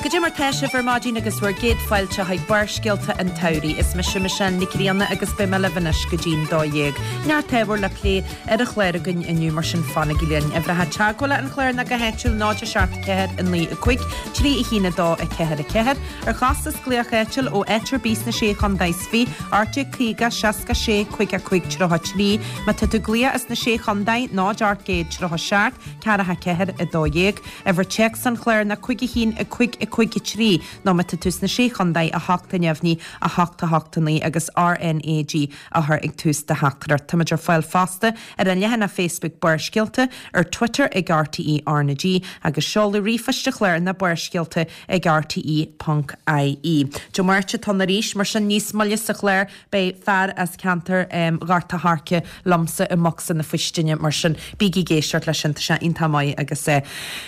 Goidé mar tá sibh ar maidin agus bhur gcéad fáilte chuig Barrscéalta an tSamhraidh. Is mise Michelle Nic Grianna agus beidh mé libh anois go dtí'n 12. Neart ábhar le plé ar an chlár againn inniu mar sin fanaigí linn. Uimhreacha teagmhála an chláir ná go háitiúil 0 7 4 9 5 3 1 2 4 4. Ar chostas glaoch áitiúil ó áit ar bith sna Sé Chontae is Fiche, 1850 66 55 33. Má tá tú ag glaoch as na Sé Chontae, 0 837 4 4 12. Uimhir téacs an chláir ná 5 1 5 5 3 nó má tá tú sna Sé Chontae, 8 neamhní, 8 8 9 agus RnaG á chur ag tús do theachtaireacht. Táimid ar fáil fosta ar an leathanach Facebook Barrscéalta, ar Twitter ag RTÉ RnaG agus seoladh ríomhphoist an chláir ná barrscéalta ag rte ponc ie. Dé Máirt atá ann arís, mar sin níos moille sa chlár beidh fear as ceantar Ghort a' Choirce liomsa i mbocsa na faoistine, mar sin bígí ag éisteacht leis sin, tá sé iontach maith agus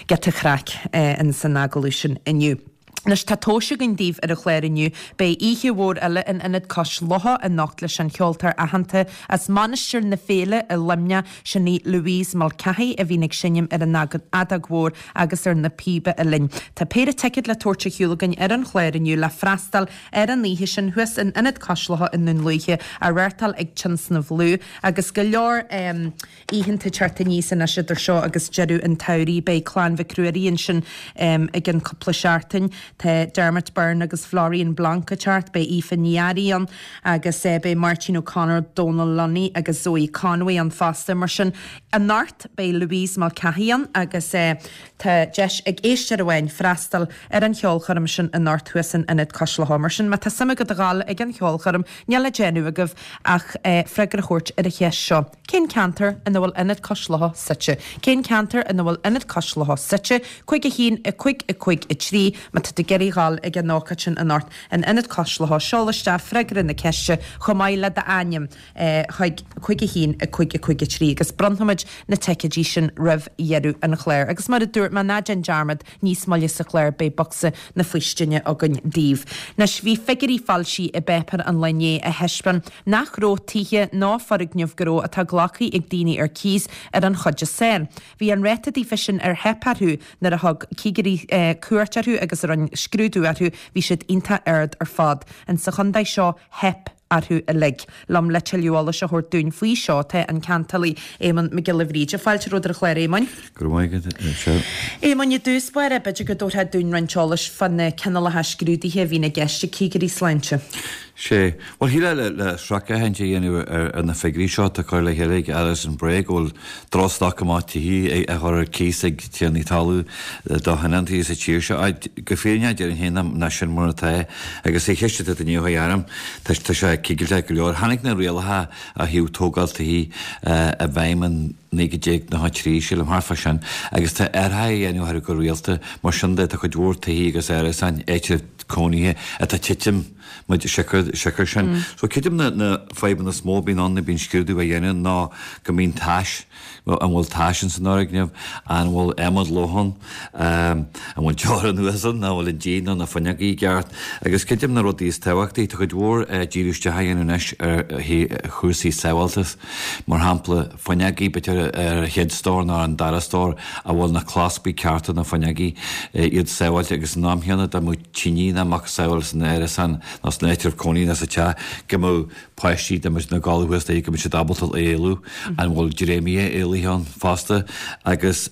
giota craic ins an agallamh sin inniu. Anois tá tomhais againn daoibh ar an chlár inniu. Beidh oíche mhór eile in Ionad Cois Locha anocht leis an cheoltóir aitheanta as Mainistir na Féile i Luimneach, sin í Louise Mulcahy a bhíonn ag seinm ar an fheadóg mhór agus ar na píoba uillinn. Tá péire ticéad le tabhairt ar shiúl againn ar an chlár inniu le freastal ar an oíche sin thuas in Ionad Cois Locha i nDún Lúiche, á reáchtáil ag Tionscnamh Lú agus go leor oícheanta ag teacht aníos anois idir seo agus deireadh an tsamhraidh. Beidh Clann Mhic Ruairí ansin i gcionn cúpla seachtain. Tá Dermot Byrne agus Florian Blanc ag teacht, beidh Aoife Ní Fhearraigh ann agus beidh Máirtín O'Connor, Dónal Lunny agus Zoe Conway ann fosta. Mar sin, anocht beidh Louise Mulcahy ann agus tá deis ag éisteoir amháin freastal ar an cheolchoirm sin anocht thuas in Ionad Cois Locha. Mar sin, má tá suim agat a dhul ag an cheolchoirm, níl le déanamh agaibh ach freagra a thabhairt ar an cheist seo, Cén ceantar ina bhfuil Ionad Cois Locha suite? Cén ceantar ina bhfuil Ionad Cois Locha suite? 5 1 5 5 3 Má tá tú ag iarraidh dhul ag an ócáid sin anocht in Ionad Cois Locha, seol isteach freagra na ceiste chomh maith le d'ainm chuig 5 1 5 5 3 agus bronnfaimid na ticéidí sin roimh dheireadh an chláir. Agus mar a dúirt mé, ná déan dearmad, níos moille sa chlár beidh bocsa na faoistine againn daoibh. Anois, bhí figiúirí foilsithe i bpáipéar an lae inné a thaispeáin nach raibh tithe ná foirgnimh gnó atá glactha ag daoine ar cíos ar an chuid is fearr. Bhí an ráta daofa sin ar theip orthu nuair a thug cigirí cuairt orthu agus a rinne scrúdú orthu, bhí siad iontach ard ar fad. Insa chontae seo, theip orthu uilig. Liom le tuilleadh eolais a thabhairt dúinn faoi seo tá an ceantálaí Éamonn Mac Giolla Bhríde. Fáilte romhat ar an chlár, a Éamoinn. Go raibh maith agat, a Michelle. Éamoinn, i dtús báire, b'fhéidir go dtabharfá dúinn roinnt eolais fá na cineálacha scrúduithe a bhíonn i gceist ag cigirí sláinte. Sé. Bhuel, shílfeá le sracfhéachaint a dhéanamh ar na figiúirí seo atá curtha le chéile ag Alison Bray go bhfuil drochstoc amach tithe á chur ar cíos ag tiarnaí talún do thionóntaí sa tír seo. Go fírinneach déarfainn féin nach sin mar atá agus sa cheist atá inniu a dhearaim, tá sé cigilteach go leor. Tháinig na rialacha ó thaobh tógáil tithe i bhfeidhm in 1993, sílim, thart fá sin, agus tá athruithe á dhéanamh orthu go rialta. Mar sin de, tá cuid mhór tithe agus árasáin, áitribh cónaithe atá ag titim muid siocair siocair sin. So creidim na na fadhbanna is mó a bhíonn ann nuair a bhíonn scrúdú á dhéanamh ná go mbíonn tais, an bhfuil tais ins an fhoirgneamh, an bhfuil adhmad lobhtha ann, an bhfuil deora anuas ann, an bhfuil an díon nó na fuinneogaí i gceart. Agus creidim na rudaí is tábhachtaí, tá cuid mhór díriú isteach á dhéanamh anois ar chúrsaí sábháltas, mar shampla fuinneogaí, b'fhéidir ar an chéad stór nó ar an dara stór, an bhfuil na claspaí cearta ar na fuinneogaí, iad sábháilte agus san am chéanna dá mbeadh tine nó macasamhail san árasán nó san áitreabh cónaithe nó sa teach go mbeadh páistí dá mbeadh siad ina gcodladh thuas léi go mbeadh siad ábalta éalú, an bhfuil dréimire éalaithe ann fosta agus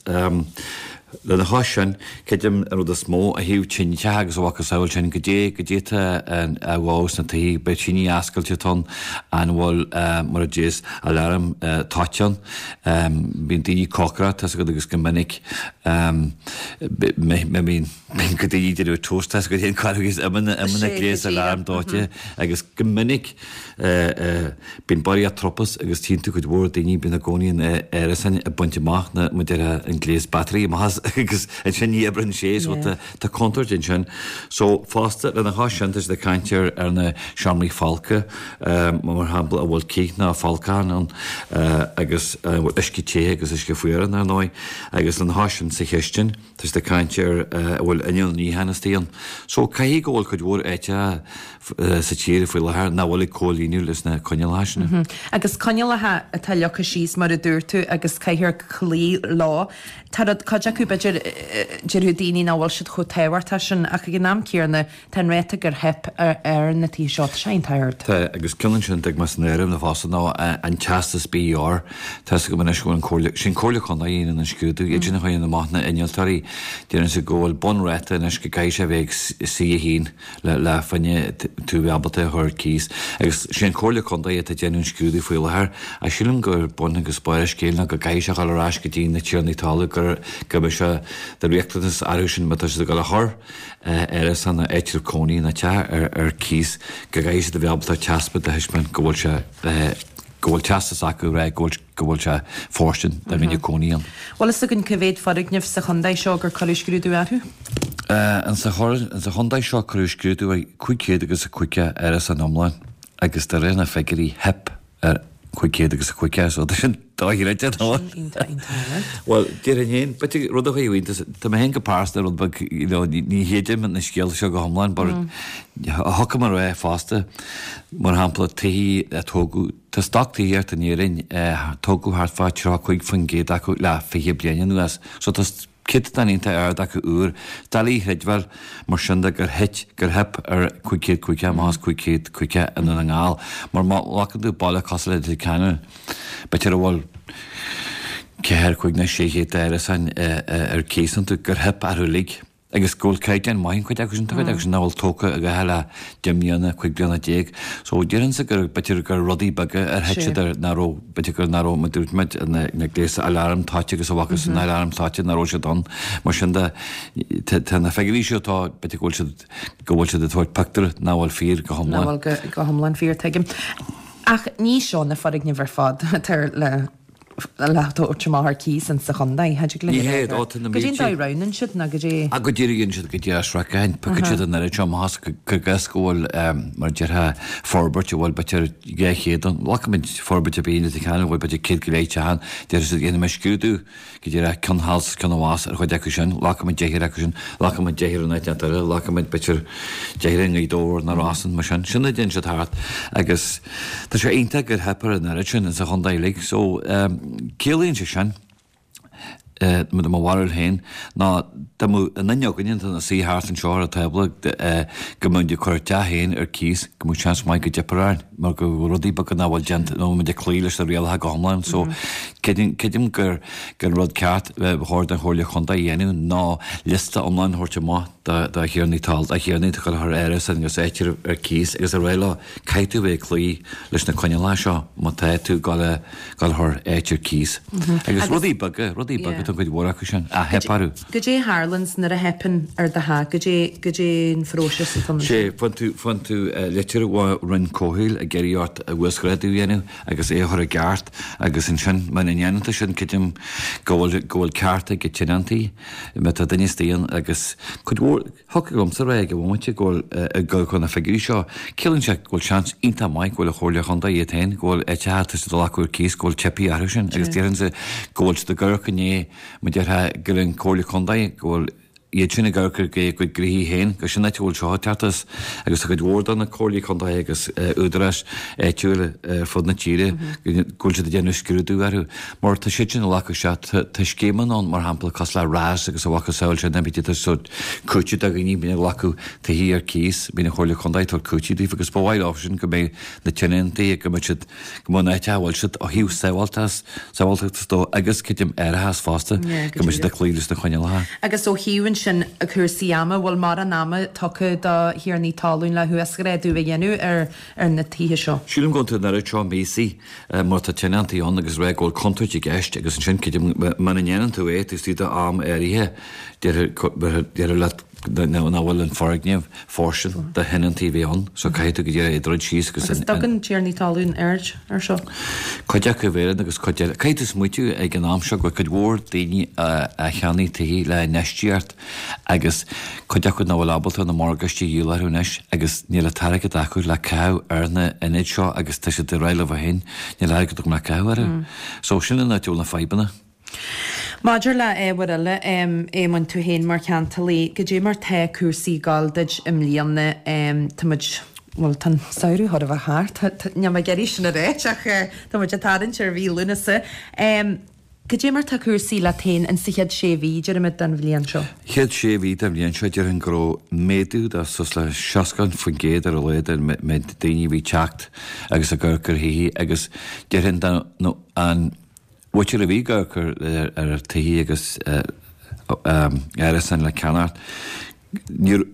lena chois sin, creidim an rud is mó ó thaobh tinteacha agus a mhacasamhail sin, goidé, goidé atá á dhó sna tithe, beidh tine oscailte atá ann, an bhfuil mar a déarfá aláram toiteáin ann, bíonn daoine ag cócaireacht, tá's agat agus go minic bíonn Bíonn go daoine ag déanamh toast tá's agat féin cá agus imíonn an gléas aláram dóite agus go minic bíonn barraíocht tropais agus tchíonn tú cuid mhór daoine bíonn i gcónaí in árasáin ag baint amach na mar a déarfá an gléas battery amach as agus ansin ní oibreann sé so tá tá contúirt ansin. So fosta lena chois sin tá siad ag caint ar ar na seomraí folctha mar shampla an bhfuil cith nó folcachán ann agus an bhfuil uisce te agus uisce fuar ann ar ndóigh agus lena chois sin sa chistin. Tá siad ag caint ar an bhfuil inneall níocháin istigh ann. So, caithfidh go bhfuil cuid mhór áiteacha sa tír faoi láthair nach bhfuil ag comhlíonadh leis na coinníollacha sin. Agus coinníollacha atá leagtha síos mar a dúirt tú agus caithfear cloí leo. Tá rud, cuid acu. b'fhéidir, déarfadh daoine nach bhfuil siad chomh tábhachtach sin ach ag an am céanna tá an ráta gur theip ar na tithe seo, tá sé iontach ard. Tá, agus ceann ansin a dtig mé san áireamh na fosta ná an teastas BER. Tá 'fhios agam anois go bhfuil an Comhairle, sin Comhairle Contae a dhéanann an scrúdú, iad sin a chuireann amach na innealtóirí, deireann siad go bhfuil bunráta anois go gcaithfidh sé a bheith ag C1 le le fá choinne tú a bheith ábalta a chur ar cíos. Agus sé an Comhairle Contae atá ag déanamh an scrúdú faoi láthair ach sílim gur bun agus barr an scéil ná go gcaithfidh sé a dhul ar ais go dtí na tiarnaí talún gur go mbeidh sé de riachtanas orthu sin má tá siad ag dul a chur árasán nó áitreabh cónaí nó teach ar ar cíos go gcaithfidh siad a bheith ábalta taispeáint a thaispeáint go bhfuil sé go bhfuil teastas acu a rá go bhfuil go bhfuil sé fóirstean dá mbeinn ag cónaí ann. Bhfuil fhios againn cá mhéad foirgneamh sa chontae seo gur cuireadh scrúdú orthu? Insa chontae seo cuireadh scrúdú ar 550 árasán iomlán agus de réir na figiúirí theip ar 550 so tá sin dochreidte nó? Sin iontach iontach ard. Bhuel, déarfainn féin, b'fhéidir rud a chuirfeadh iontas, tá mé féin go pearsanta rud beag, you know, ní chreidim na scéalta seo go hiomlán but thiocfadh liom a rá fosta, mar shampla, tithe a tógadh, Tá stoc tithíochta in Éirinn, tógadh thart fá 35% acu le 20 bliain anuas, so tá céatadán iontach ard acu úr. Doiligh a chreidbheáil mar sin de gur thit, gur theip ar 550 amach as 550 i nDún na nGall. Mar má ghlacann tú baile cosúil le Leitir Ceanainn, b'fhéidir a bhfuil 4, 5 nó 600 d'árasáin ar cíos iontu, gur theip orthu uilig. Agus go bhfuil caighdeán maith an chuid acu sin, tá cuid acu sin nach bhfuil tógtha a dhath le 10 mbliana, 15 bliana. So déarfainnse gur, b'fhéidir gur rudaí beaga ar thit siad air, nach raibh, b'fhéidir gur nach raibh, mar dúirt muid, na, na gléasa aláram toite agus a bhfaca san aláram toite nach raibh siad ann. Mar sin de, tá, tá na figiúirí seo atá, b'fhéidir go bhfuil siad, go bhfuil siad ag tabhairt pictiúr nach bhfuil fíor go hiomlán. Nach bhfuil go, go hiomlán fíor, tuigim. Ach ní seo na foirgnimh ar fad atá le le tabhairt amach ar cíos insa chontae. Cha dtig Ní hé, ó, tá na Goidé an dóigh a roghnaíonn siad ná goidé. Ah, go díreach dhéanann siad go díreach sracfhéachaint, piocann siad an oiread seo amach as go gcuid go bhfuil, mar a déarfá, forbairt a bhfuil b'fhéidir 200 ann. Glacaimid forbairt ar bith in Leitir Ceanainn a bhfuil b'fhéidir 100 go leith teach ann, déarfaidh siad dhéanfaidh mé scrúdú go díreach ceann thall 's ceann abhus ar chuid acu sin, glacfaidh muid deichniúr acu sin, glacfaidh muid deichniúr in áit inteacht eile, glacfaidh muid b'fhéidir deichniúr i nGaoth Dobhair nó Ros Muc, mar sin. Sin a déanann siad thart agus tá sé iontach gur theip ar an oiread sin insa chontae uilig. So, ciallaíonn sé sin, i mo bharúil féin, ná dá mbeadh aon duine againne atá ina suí thart anseo ar an tábla go mbeadh muid ag cur ár dteach féin ar cíos, go mbeadh seans maith go dteipfear orainn. mar go bhfuil rudaí beaga nach bhfuil déanta, nach bhfuil muid ag cloí leis na rialacha go hiomlán. So, creidim gur gur an rud ceart ba chóir don Chomhairle Chontae a dhéanamh ná liosta iomlán a thabhairt amach do do thiarnaí talún, do thiarnaí atá ag dul a chur árasán agus áitreabh ar cíos agus a rá leo, caithfidh tú a bheith ag cloí leis na coinníollacha seo má tá tú ag dul a dul a chur áit ar cíos. Agus rudaí beaga, rudaí beaga tá cuid mhór acu sin, a theip orthu. Goidé a tharlaíonn nuair a theipeann ar do theach? Goidé, goidé an phróiseas atá ann? Sé, faigheann tú, faigheann tú litir ó Roinn Comhshaoil ag iarraidh ort uasghrádú a dhéanamh agus é a chur i gceart agus ansin muna ndéanann tú sin creidim go bhfuil, go bhfuil ceart ag tionóntaí má tá duine istigh ann agus cuid mhór, Thiocfadh liomsa a rá ag an bhomaite go bhfuil ag dul chun na figiúirí seo. Ciallaíonn sé go bhfuil seans iontach maith go bhfuil an Chomhairle Chontae iad féin, go bhfuil áiteacha atá siad ag glacadh ar cíos, go bhfuil teipthe orthu sin agus déarfainnse go bhfuil siad ag amharc i ndiaidh, mar déarfá, go bhfuil an Chomhairle Chontae, go bhfuil iad sin ag amharc ar a gcuid gnoithí féin, gur sin áit a bhfuil seo ag teacht as agus tá cuid mhór de na Comhairlí Contae agus údaráis áitiúla ar fud na tíre go bhfuil siad ag déanamh scrúdú orthu. Mar tá siad sin ag glacadh isteach, tá scéimeanna ann, mar shampla, cosúil le RAS agus a mhacasamhail sin, bíonn siad ag tabhairt cúiteamh do dhaoine, bíonn ag glacadh tithe ar cíos, bíonn an Chomhairle Contae ag tabhairt cúiteamh daofa agus ba mhaith leo sin go mbeidh na tionóntaí, go mbeidh siad, go mbeidh an áit a bhfuil siad ó thaobh sábháilteachas, sábháilteachta dó agus creidim árachas fosta, go mbeidh siad ag cloí leis na coinníollacha. Agus ó thaobh ansin cúrsaí ama, bhfuil mórán ama tugtha do thiarnaí talún le huasghrádú a dhéanamh ar ar na tithe seo? Sílim go bhfuil an oiread seo míosaí mar tá tionóntaí ann agus rá go bhfuil contúirt i gceist agus ansin creidim muna ndéanann tú é taobh istigh d'am áirithe déarfar leat nach bhfuil an foirgneamh fóirstean do thionóntaí a bheith ann so caithfidh tú go díreach é a dhruid síos agus Agus dtugann tiarnaí talún aird ar seo? Cuid acu a bheireann agus cuid eile. Caithfidh tú smaoitiú ag an am seo go bhfuil cuid mhór daoine a cheannaigh tithe le infheistíocht agus cuid acu nach bhfuil ábalta na morgáistí a dhíol orthu anois agus níl an t-airgead acu le caitheamh ar na ionaid seo agus tá siad ag rá leo féin níl airgead agam le caitheamh orthu. So sin an áit a bhfuil na fadhbanna. Maidir le ábhair eile, Éamoinn, tú féin mar cheantalaí, goidé mar tá cúrsaí ag gabháil duit i mbliana, tá muid, bhuel tá an samhradh chóir a bheith thart, níl mé ag iarraidh sin a ráit ach tá muid ag tarraingt ar mhí Lúnasa. Cad é mar tá cúrsaí leat féin in sa chéad sé mhí, déarfaimid, den bhliain seo? Chéad sé mhí den bhliain seo, déarfainn go raibh méadú de suas le 60% ar a laghad ar an méid daoine a bhí ag teacht agus ag amharc ar thithe agus déarfainn dá an mhuintir a bhí ag amharc ar tithe agus árasáin le ceannacht, níor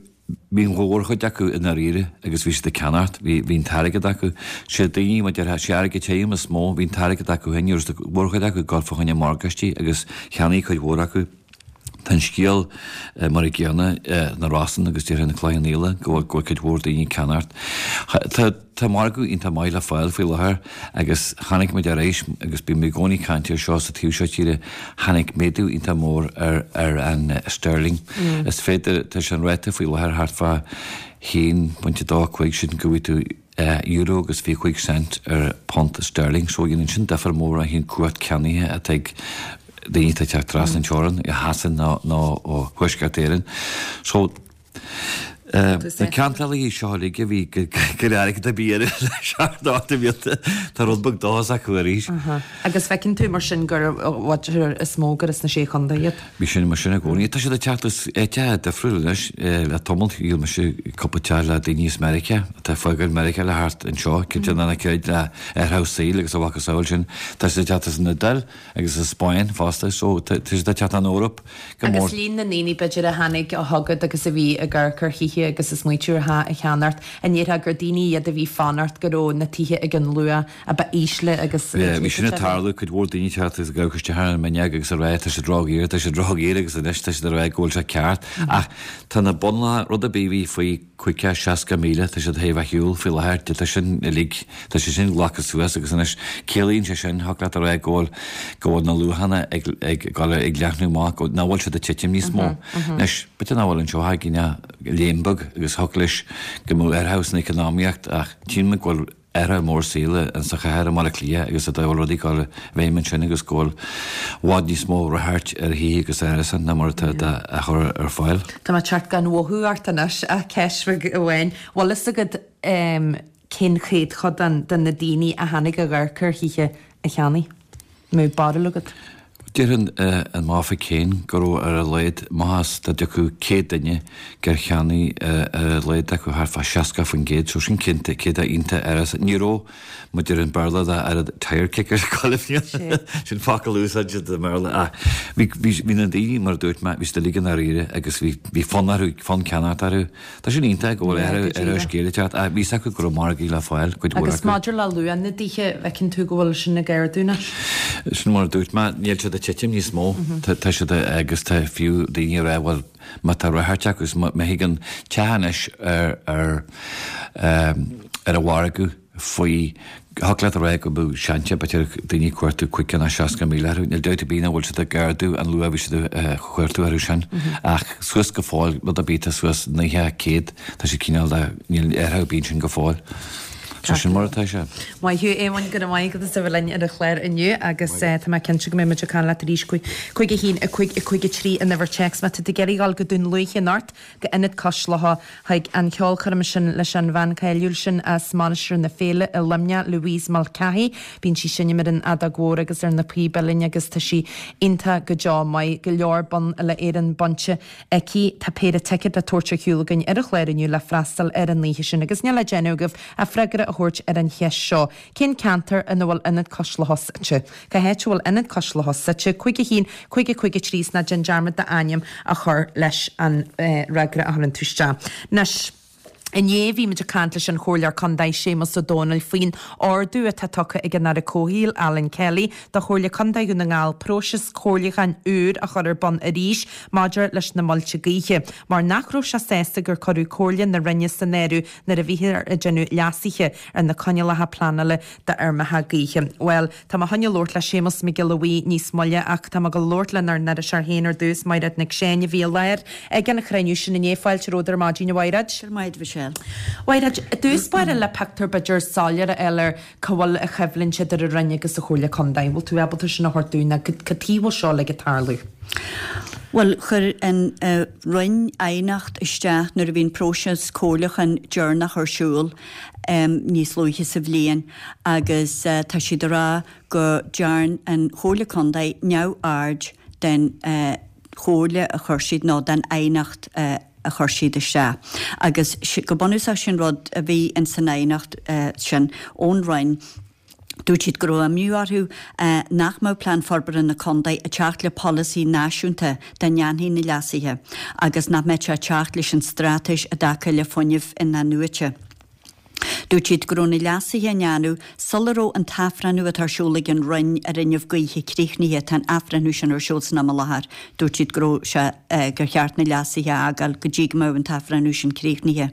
Bhí an mhórchuid acu i ndáiríre agus bhí siad ag ceannacht, bhí, bhí an t-airgead acu. Sé daoine, mar déarfá, sé airgead tirim is mó, bhí an t-airgead acu féin, ní raibh an mhórchuid acu ag dul fá choinne morgáistí agus cheannaigh cuid mhór acu. Tá an scéal mar an gcéanna na Rosann agus déarfainn na Cloich Cheann Fhaola go bhfuil, go bhfuil cuid mhór daoine ag ceannacht. Tá, tá margadh iontach maith le fáil faoi láthair agus chonaic muid arís, agus bíonn mé i gcónaí ag caint air seo sa taobh seo tíre, Tháinig méadú iontach mór ar ar an sterling. Is féidir, tá sé an ráta faoi láthair thart fá 1.25 sin go bhfaighidh tú euro agus 25 cent ar punt sterling. So dhéanann sin difear mór ó thaobh cumhacht ceannaithe atá ag daoine atá ag teacht trasna an teorann, ó Shasain nó ó Thuaisceart Éireann. So. Na ceantálaithe seo uilig a bhí gan airgead ar bith orthu le seacht nó ocht de bhlianta, tá rud beag dóchas acu arís. Agus feiceann tú mar sin gur is mó gur as na Sé Chontae iad. Bhí sin mar sin i gcónaí. Tá siad ag teacht as áiteacha difriúla anois. Le tamall dhíol mise cúpla teach le daoine as Meiriceá atá ag fágáil Meiriceá le theacht anseo, cinnte ná na céad le athrú saoil agus a mhacasamhail sin. Tá siad ag teacht as an Iodáil agus as Spáinn fosta so tá siad ag teacht ón Eoraip go mór. Agus líon na ndaoine, b'fhéidir, a tháinig chugat agus a bhí ag amharc ar thithe agus ag smaoitiú ar theach a cheannacht, an ndéarfá gur daoine iad a bhí ag fanacht go raibh na tithe ag an luach a ba ísle agus a Bhí sin ag tarlú, cuid mhór daoine ag teacht agus ag amharc isteach ar an bhfuinneog agus ag rá tá siad ródhaor, tá siad ródhaor agus anois tá siad ag rá go bhfuil sé ceart. Ach tá na bunluachanna, rud ar bith a bhí faoi 50, 60,000, tá siad théis a bheith ar shiúl faoi láthair, tá sin uilig, tá sé sin glactha suas agus anois ciallaíonn sé sin, thiocfadh leat a rá go bhfuil, go bhfuil na luachanna ag, ag dul ag leathnú amach, go, nach bhfuil siad ag titim níos mó. Anois, b'fhéidir nach bhfuil anseo ach léim beag agus thiocfadh leis go mbeadh athrú san economaíocht ach tchíonn muid go bhfuil athrú mór saoil insa chathair i mBaile Átha Cliath agus go bhfuil rudaí ag dul i bhfeidhm ansin agus go bhfuil i bhfad níos mó ráchairt ar thithe agus árasáin ná mar atá á chur ar fáil. Tá mé ag teacht gan mhothú ort anois ach ceist bheag amháin. Bhfuil fhios agat cén céatadán de na daoine a tháinig ag amharc ar thithe a cheannaigh? Mbeadh barúil agat? Déarfainn an m'Oifig féin go raibh ar a laghad, maitheas dá dtiocfadh 100 duine gur cheannaigh ar a laghad acu thart fá 60%, so sin cinnte, céatadán iontach ard. Ní raibh, mar a deir an Béarla, dá oiread tire kickers chuile bhliain, sin focal a úsáidtear i mBéarla, ach bhí, bhí na daoine, mar a dúirt mé, bhí siad uilig i ndáiríre agus bhí, bhí fonn orthu, fonn ceannacht orthu. Tá sin iontach go bhfuil athrú ar scéal ag teacht ach bhí 'fhios acu go raibh margaí le fáil, cuid mhór acu. Agus maidir le luach na dtithe, bhfeiceann tú go bhfuil sin ag ardú anois? Sin mar a dúirt mé, níl siad ag titim níos mó. Tá siad agus tá fiú daoine ag rá bhuel má tá ráchairt acu agus má thigeann teach anois ar ar ar an mhargadh faoi thiocfadh leat a rá go mbeadh seans b'fhéidir daoine ag cuartú 50 nó 60,000 orthu. Níl dabht ar bith nach bhfuil siad ag ardú an luach a bhí siad a chuartú orthu sin. Ach suas go fóill, rud ar bith atá suas 90, 100, tá siad cineál de, níl athrú ar bith ansin go fóill. So sin mar atá sé. Maith thú, Éamoinn, go raibh maith agat as a bheith linn ar an chlár inniu agus tá mé cinnte go mbeidh muid ag caint leat arís 5 1 5 5 3 an uimhir téacs má tá tú ag iarraidh dul go Dún Lúiche anocht go Ionad Cois Locha chuig an cheolchoirm sin leis an bhean cháiliúil sin as Mainistir na Féile i Luimneach, Louise Mulcahy. Bíonn sí ag seinm ar an fheadóg mhór agus ar na píob uilleann agus tá sí iontach go deo maith. Go leor bonn uile-Éireann bainte aici. Tá péire ticéad le tabhairt ar shiúl againn ar an chlár inniu le freastal ar an oíche sin agus níl le déanamh agaibh ach freagra a thabhairt ar an cheist seo, Cén ceantar ina bhfuil Ionad Cois Locha suite? Cá háit a bhfuil Ionad Cois Locha suite? 5 1 5 5 3 's ná déan dearmad d'ainm a chur leis an fhreagra a chuireann tú isteach. Anois, inné bhí muid ag caint leis an Chomhairleoir Contae Séamus Ó Domhnaill faoin ordú atá tugtha ag an Aire Comhshaoil Alan Kelly do Chomhairle Contae Dhún na nGall próiseas comhairliúcháin úr a chur ar bun arís maidir leis na muilte gaoithe mar nach raibh sé sásta gur cuireadh comhairle na Roinne san áireamh nuair a bhíothar ag déanamh leasuithe ar na coinníollacha pleanála d'fheirmeacha gaoithe. Bhuel, tá mé chun labhairt le Séamus Mac Giolla Bhuí níos moille ach tá mé ag labhairt lenár n-iriseoir féin ar dtús, Maighread Nic Seáin, a bhí i láthair ag an chruinniú sin inné. Fáilte romhat ar maidin, a Mhaighread. Go raibh maith agat, Michelle. Mhaighread, i dtús báire le pictiúr b'fhéidir soiléir a fháil ar cá bhfuil an choimhlint idir an Roinn agus an Chomhairle Contae. Bhfuil tú ábalta sin a thabhairt dúinn nó cad chuige a bhfuil seo uilig ag tarlú? Bhuel, chuir an Roinn aighneacht isteach nuair a bhí an próiseas comhairliúcháin deireanach ar siúl níos luaithe sa bhliain agus tá siad ag rá go dtearn an Chomhairle Contae neamhaird den chomhairle a chuir siad nó den aighneacht a chuir siad isteach. Agus go bunúsach sin rud a bhí in san aighneacht sin ón Roinn. Dúirt siad go raibh imní orthu nach mbeadh Plean Forbartha na Contae ag teacht le polasaí náisiúnta dá ndéanfaí na leasuithe agus nach mbeadh sé ag teacht leis an straitéis i dtaca le fuinneamh in-athnuaite. Dúirt siad go raibh na leasuithe á ndéanamh sula raibh an t-athbhreithniú atá ar siúl ag an Roinn ar fhuinneamh gaoithe críochnaithe, tá an athbhreithniú sin ar siúl san am i láthair. Dúirt siad go raibh sé gur cheart na leasuithe a fhágáil go dtí go mbeadh an t-athbhreithniú sin críochnaithe.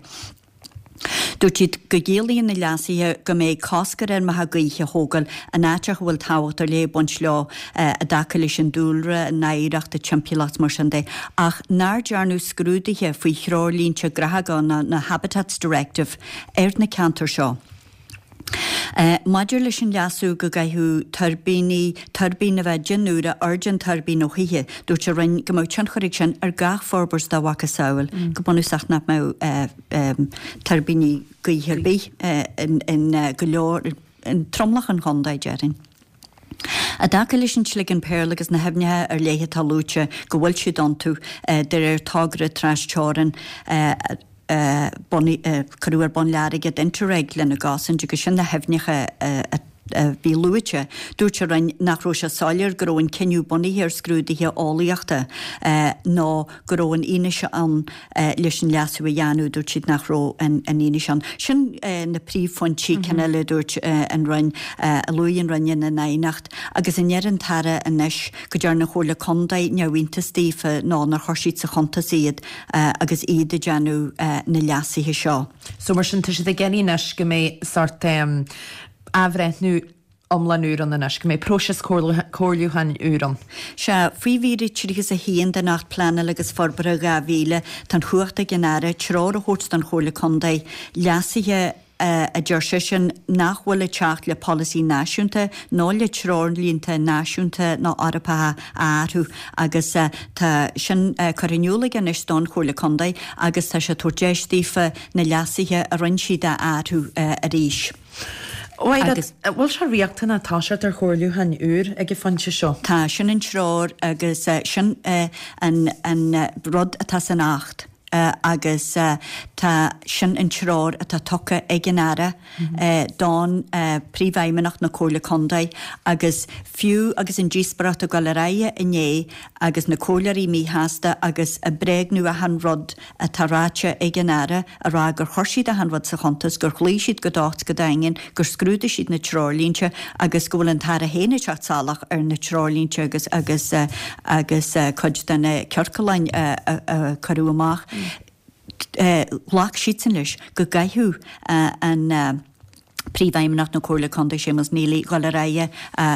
Dúirt siad go gciallaíonn na leasuithe go mbeidh cosc ar fheirmeacha gaoithe a thógáil in áiteacha a bhfuil tábhacht ar leith ag baint leo i dtaca leis an dúlra, an oidhreacht, an timpeallacht is mar sin de, ach nár dearnadh scrúduithe faoi threoirlínte gnáthóg nó na Habitats Directive ar na ceantair seo. Maidir leis an leasú go gcaithfeadh tuirbíní, tuirbín a bheith 10 n-uaire airde an tuirbín ó thithe, dúirt an Roinn go mbeadh tionchar ag sin ar gach forbairt dá mhacasamhail, go bunúsach nach mbeadh tuirbíní gaoithe ar bith in go leor, in tromlach an chontae, déarfainn. I dtaca leis an tSligeann Pearl agus na haibhneacha ar leith atá luaite go bhfuil siad iontu de réir togra tras-teorann a cuireadh ar bun le airgead Interreg lena gcosaint agus sin na haibhneacha a bhí luaite, dúirt an Roinn nach raibh sé soiléir go raibh an cinneadh bunaithe ar scrúduithe eolaíochta nó go raibh an fhianaise ann leis an leasú a dhéanamh, dúirt siad nach raibh an fhianaise ann. Sin na príomhphointí, ceann eile a dúirt an Roinn, a luaigh an Roinn ina n-aighneacht. Agus an ndeir an tAire anois go dtearn an Chomhairle Contae neamhiontas daofa nó nár chuir siad sa chuntas iad agus iad ag déanamh na leasuithe seo. So mar sin tá siad ag iarraidh anois go mbeidh sórt athbhreithniú iomlán úr ann anois, go mbeidh próiseas comhairliúcháin úr ann. Sea, faoi mhír 31 den Acht Pleanála agus Forbartha 2000, tá an chumhacht ag an Aire treoir a thabhairt don Chomhairle Contae leasuithe a deir seisean nach bhfuil ag teacht le polasaí náisiúnta nó le treoirlínte náisiúnta nó Eorpacha a athrú agus tá sin curtha in iúl aige anois don Chomhairle Contae agus tá sé ag tabhairt deis daofa na leasuithe a rinne siad a athrú arís. Agus. An bhfuil sé riachtanach toiseacht ar chomhairliúchán úr ag an phointe seo? Tá, sin an treoir agus sin an rud atá san Acht agus tá, sin an treoir atá tugtha ag an Aire don Príomhfheidhmeannach na Comhairle Contae agus fiú agus an díospóireacht ag dul ar aghaidh inné agus na comhairleoirí míshásta agus ag bréagnú achan rud atá ráite ag an Aire, a rá gur chuir siad achan rud sa chuntas, gur chloígh siad go docht go daingean, gur scrúdaigh siad na treoirlínte agus go bhfuil an tAire féin ag teacht salach ar na treoirlínte agus agus agus cuid de na ciorcláin a a cuireadh amach. Ghlac siadsan leis go gcaithfeadh an Príomhfheidhmeannach na Comhairle Contae Séamus Neely dhul ar aghaidh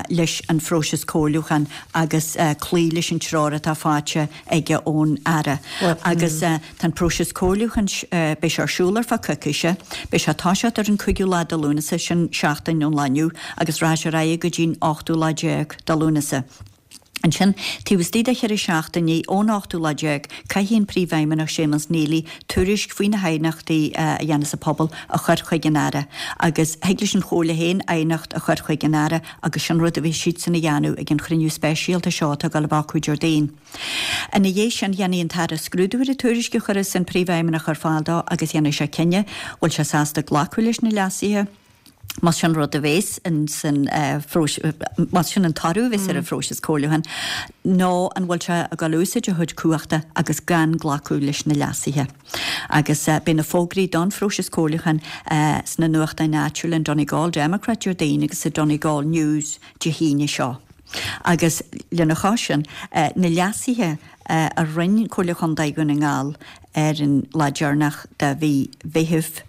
leis an phróiseas comhairliúcháin agus cloí leis an treoir atá faighte aige ón Aire. Agus tá an próiseas comhairliúcháin, beidh sé ar siúl ar feadh coicíse, beidh sé ag toiseacht ar an 5ú lá de Lúnasa, sin seachtain ón lá inniu, agus rachaidh sé ar aghaidh go dtí'n ochtú lá déag de Lúnasa. Ansin, taobh istigh de cheithre seachtainí ón ochtú lá déag, caithfidh an Príomhfheidhmeannach Séamus Neely tuairisc faoi na haighneachtaí a dhéanfas an pobal a chur chuig an Aire. Agus thig leis an Chomhairle féin aighneacht a chur chuig an Aire agus sin rud a bheidh siadsan a dhéanamh ag an chruinniú speisialta seo atá ag dul a bheith acu Déardaoin. Ina dhiaidh sin, dhéanfaidh an tAire scrúdú ar an tuairisc a chuirfeas an Príomhfheidhmeannach ar fáil dó agus dhéanfaidh sé cinneadh bhfuil sé sásta glacadh leis na leasuithe. Más sin rud a bhéas san más sin an toradh a bhéas ar an phróiseas comhairliúcháin, nó an bhfuil sé ag dul a úsáid a chuid cumhachta agus gan glacadh leis na leasuithe. Agus beidh na fógraí don phróiseas comhairliúcháin sna nuachtáin áitiúla, an Donegal Democrat Déardaoin agus sa Donegal News Dé hAoine seo. Agus lena chois sin, na leasuithe a rinne Comhairle Chontae Dhún na nGall ar an lá deireanach de mhí Mheithimh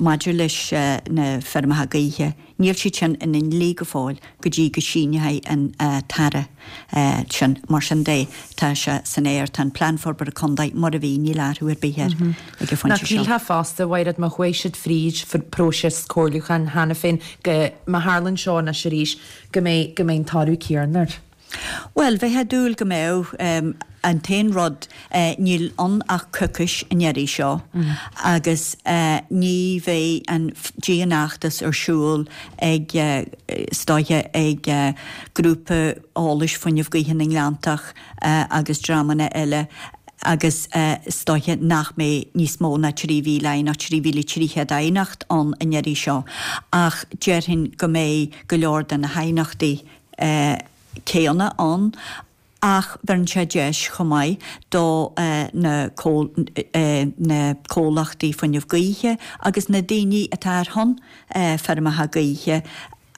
maidir leis na feirmeacha gaoithe, níl siad sin ina ndlí go fóill go dtí go síneoidh an tAire sin. Mar sin de, tá sé san aer, tá an Plean Forbartha Contae mar a bhí, níl athrú ar bith air ag an phointe seo. Nach shílfeá fosta, a Mhaighread, má chuaigh siad fríd próiseas comhairliúcháin cheana féin, go, má tharlaíonn seo anois arís, go mbeidh, go mbeidh an toradh céanna air. Bhuel, bheifeá ag dúil go mbeadh. An t-aon rud, níl ann ach coicís an iarraidh seo agus ní bheidh an dianfheachtas ar siúl ag, is dóiche, ag Grúpa Eolais Fuinneamh Gaoithe na nGleanntach agus dreamanna eile agus is dóiche nach mbeidh níos mó ná 3,000 aighneacht, 3,300 aighneacht ann an iarraidh seo ach déarfainn go mbeidh go leor de na haighneachtaí céanna ann ach bheireann sé deis chomh maith do na na comhlachtaí fuinneamh gaoithe agus na daoine atá ar shon feirmeacha gaoithe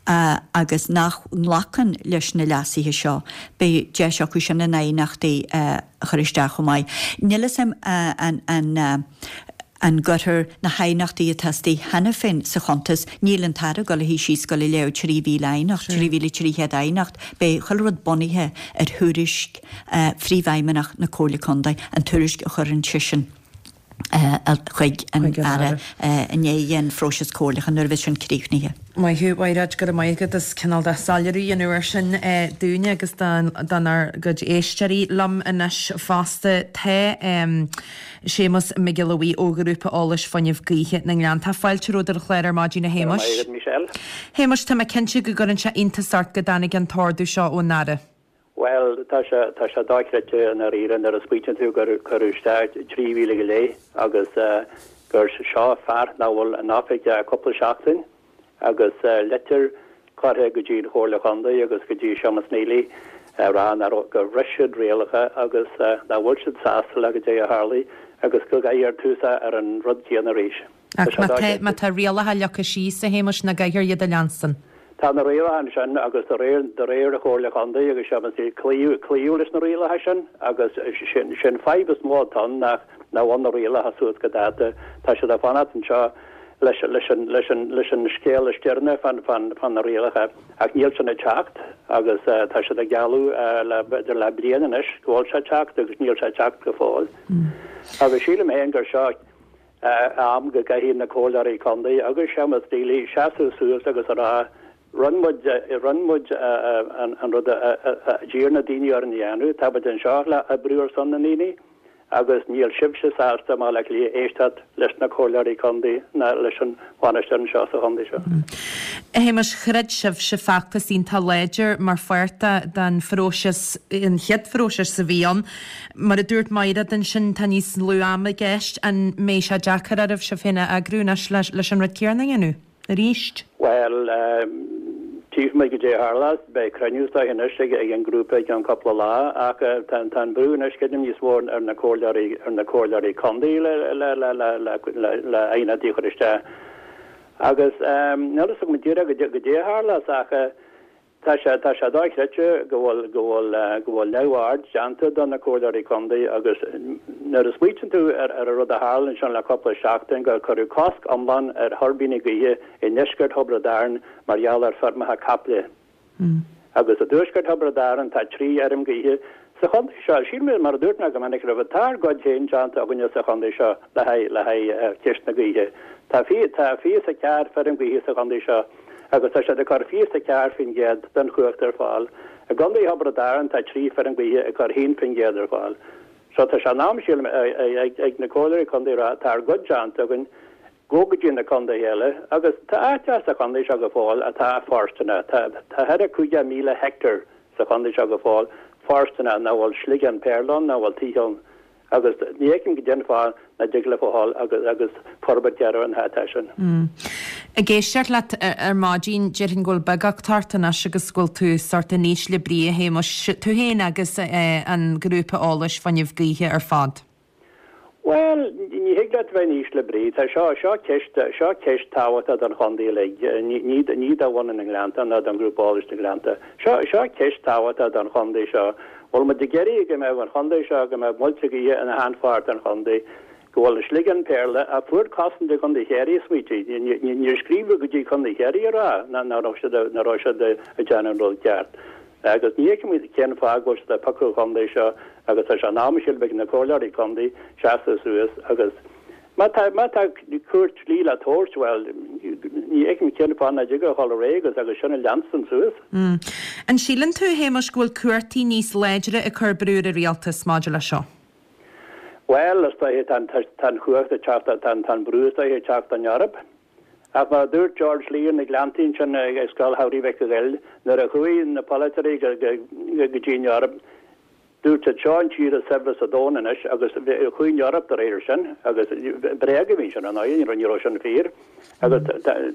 agus nach nglacann leis na leasuithe seo, beidh deis acu sin a n-aighneachtaí a chur isteach chomh maith. Níl 'fhios a'm an an gcuirfear na haighneachtaí atá istigh cheana féin sa chuntas, níl an tAire ag dul a shuí síos ag dul a léamh 3,000 aighneacht, 3,300 aighneacht, beidh chuile rud bunaithe ar thuairisc Phríomhfheidhmeannach na Comhairle Contae, an tuairisc a chuireann seisean chuig an Aire i ndiaidh an phróisis comhairleacháin nuair a bheidh sin críochnaithe. Maith thú, a Mhaighread, go raibh maith agat as cineál de soiléiriú a dhéanamh air sin dúinne agus dár gcuid éisteoirí. Liom anois fosta tá Séamus Mac Giolla Bhuí ó Ghrúpa Eolais Fuinneamh Gaoithe na nGleanntach. Fáilte romhat ar an chlár ar maidin, a Shéamuis. Go raibh maith agat, Michelle. Shéamuis, tá mé cinnte go gcuireann sé iontas ort go dtáinig an t-ordú seo ón Aire. Bhuel, tá sé, tá sé dochreidte i ndáiríre nuair a smaoitíonn tú gur cuireadh isteach 3,000 go leith agus gur seo fear nach bhfuil in oifig ach cúpla seachtain agus litir curtha go dtí an Chomhairle Chontae agus go dtí Séamus Neely ag rá nach raibh, gur bhris siad rialacha agus nach bhfuil siad sásta le goidé a tharlaigh agus go gcaithfear tús ar an rud céanna arís. Ach má tá, má tá rialacha leagtha síos, a Shéamuis, nach gcaithfear iad a leanstan? Tá na rialacha ansin agus de réir, de réir an Chomhairle Chontae agus Séamus Neely, cloíodh, cloíodh leis na rialacha sin agus sin, sin fadhb is mó atá ann nach, nach bhfuil na rialacha suas go dáta. Tá siad ag fanacht anseo leis, leis an, leis an, leis an scéal is deireanaí fán, fán, fán na rialacha ach níl sin ag teacht agus tá siad ag gealladh le, b'fhéidir le bliain anois go bhfuil sé ag teacht agus níl sé ag teacht go fóill. Agus sílim féin gur seo, am go gcaithfidh na comhairleoirí contae agus Séamus Neely seasamh suas agus a rá, rinne muid, rinne muid an rud a d'iarr na daoine orainn a dhéanamh, tá muid anseo le oibriú ar son na ndaoine agus níl sibhse sásta i mBaile Átha Cliath éisteacht leis na comhairleoirí contae ná leis an bhainisteoir anseo sa chontae seo. A Shéamuis, throid sibhse feachtas iontach láidir mar pháirt den phróiseas, an chéad phróiseas a bhí ann. Mar a dúirt Maighread ansin, tá níos lú ama i gceist. An mbeidh sé deacair oraibh sibh féin a eagrú anois leis an rud céanna a dhéanamh arís? Bhuel, tchífidh muid goidé a tharlós. Beidh cruinniú is dóiche anois ag an ngrúpa i gceann cúpla lá ach tá an brú anois creidim níos mó ar na comhairleoirí ar na comhairleoirí contae le le le le le le aighneachtaí a chur isteach. Agus níl a fhios agam díreach goidé a tharlós ach Tá sé, tá sé dochreidte go bhfuil, go bhfuil, go bhfuil neamhaird déanta do na comhairleoirí contae agus nuair a smaoitíonn tú ar, ar an rud a tharla ansin le cúpla seachtain gur cuireadh cosc iomlán ar thuirbíní gaoithe i ndeisceart Thiobraid Árann mar gheall ar feirmeacha caiple. Agus i dtuaisceart Thiobraid Árann tá 3 fheirm gaoithe sa chontae seo. Sílim, mar a dúirt mé go minic roimhe, tá ár gcuid féin déanta againne sa chontae seo le haghaidh, le haghaidh ceist na gaoithe. Tá, tá 24 feirm gaoithe sa chontae seo. agus tá siad ag cur 24% den chumhacht ar fáil. I gContae Thiobraid Árann tá 3 feirm gaoithe ag cur 1% ar fáil. So tá sé in am, sílim, ag na comhairleoirí contae a rá tá ár gcuid déanta againn, gabh go dtí na contaetha eile agus tá áiteacha sa chontae seo go fóill atá fóirsteanach. Tá thar 50,000 heicteár sa chontae seo go fóill fóirsteanach nach bhfuil sliogán péarla ann, nach bhfuil tithe ann. Agus ní fheicim goidé an fáth nach dtig leofa a dhul agus agus forbairt a dhéanamh ar na háiteacha sin. Ag éisteacht leat ar maidin, déarfainn go bhfuil beagucht ort anois agus go bhfuil tú sórt in ísle brí, a Shéamuis, tú féin agus an grúpa eolais fuinneamh gaoithe ar fad. Bhuel, ní thig leat bheith in ísle brí. Tá seo, seo ceist, seo ceist tábhachtach don chontae uilig, ní, ní, ní do bhunadh na nGleannta ná don ghrúpa eolais na Gleannta. Seo, seo ceist tábhachtach don chontae seo. Bhfuil muid ag iarraidh go mbeadh an chontae seo, go mbeadh muilte gaoithe ina shainpháirt den chontae, go bhfuil an sliogán péarla, a fuair cosaint i gContae Chiarraí, smaoitigh, níor scríobhadh go dtí Contae Chiarraí a rá nach raibh siad, nach raibh siad ag déanamh an rud ceart. Agus ní fheicim cén fáth go bhfuil siad ag piocadh an chontae seo agus tá sé in am, sílim, ag na comhairleoirí contae seasamh suas agus. Má tá, má tá cúirt dlí le tabhairt, bhuel, ní fheicim cén fáth nach dtig a dhul ar aghaidh agus, agus sin a leanstan suas. An síleann tú, a Shéamuis, go bhfuil cumhachtaí níos láidre ag cur brú ar an rialtas maidir leis seo? Bhuel, is dóiche, tá an, tá an chumhacht ag teacht, tá an, tá an brú is dóiche ag teacht ón Eoraip. Ach mar a dúirt George Lee ar na Gleanntaí ansin ag Scoil Shamhraidh Mhic Goill, nuair a chuaigh na polaiteoirí go, go, go dtí an Eoraip, Dúirt siad, seo an tír is saibhre sa domhan anois agus chuaigh an Eoraip de réir sin agus bréag a bhí ansin, ar ndóigh, ní raibh sin fíor. Agus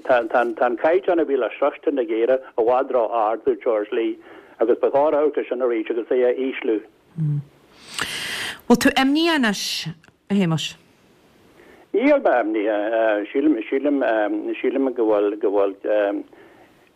tá an caighdeán a bhí le sroichint ag Éire i bhfad ró-ard, dúirt George Lee, agus ba chóir amharc air sin arís agus é a ísliú. Bhfuil tú imníoch anois, a Shéamuis? Níl mé imníoch. Sílim, sílim, sílim go bhfuil, go bhfuil,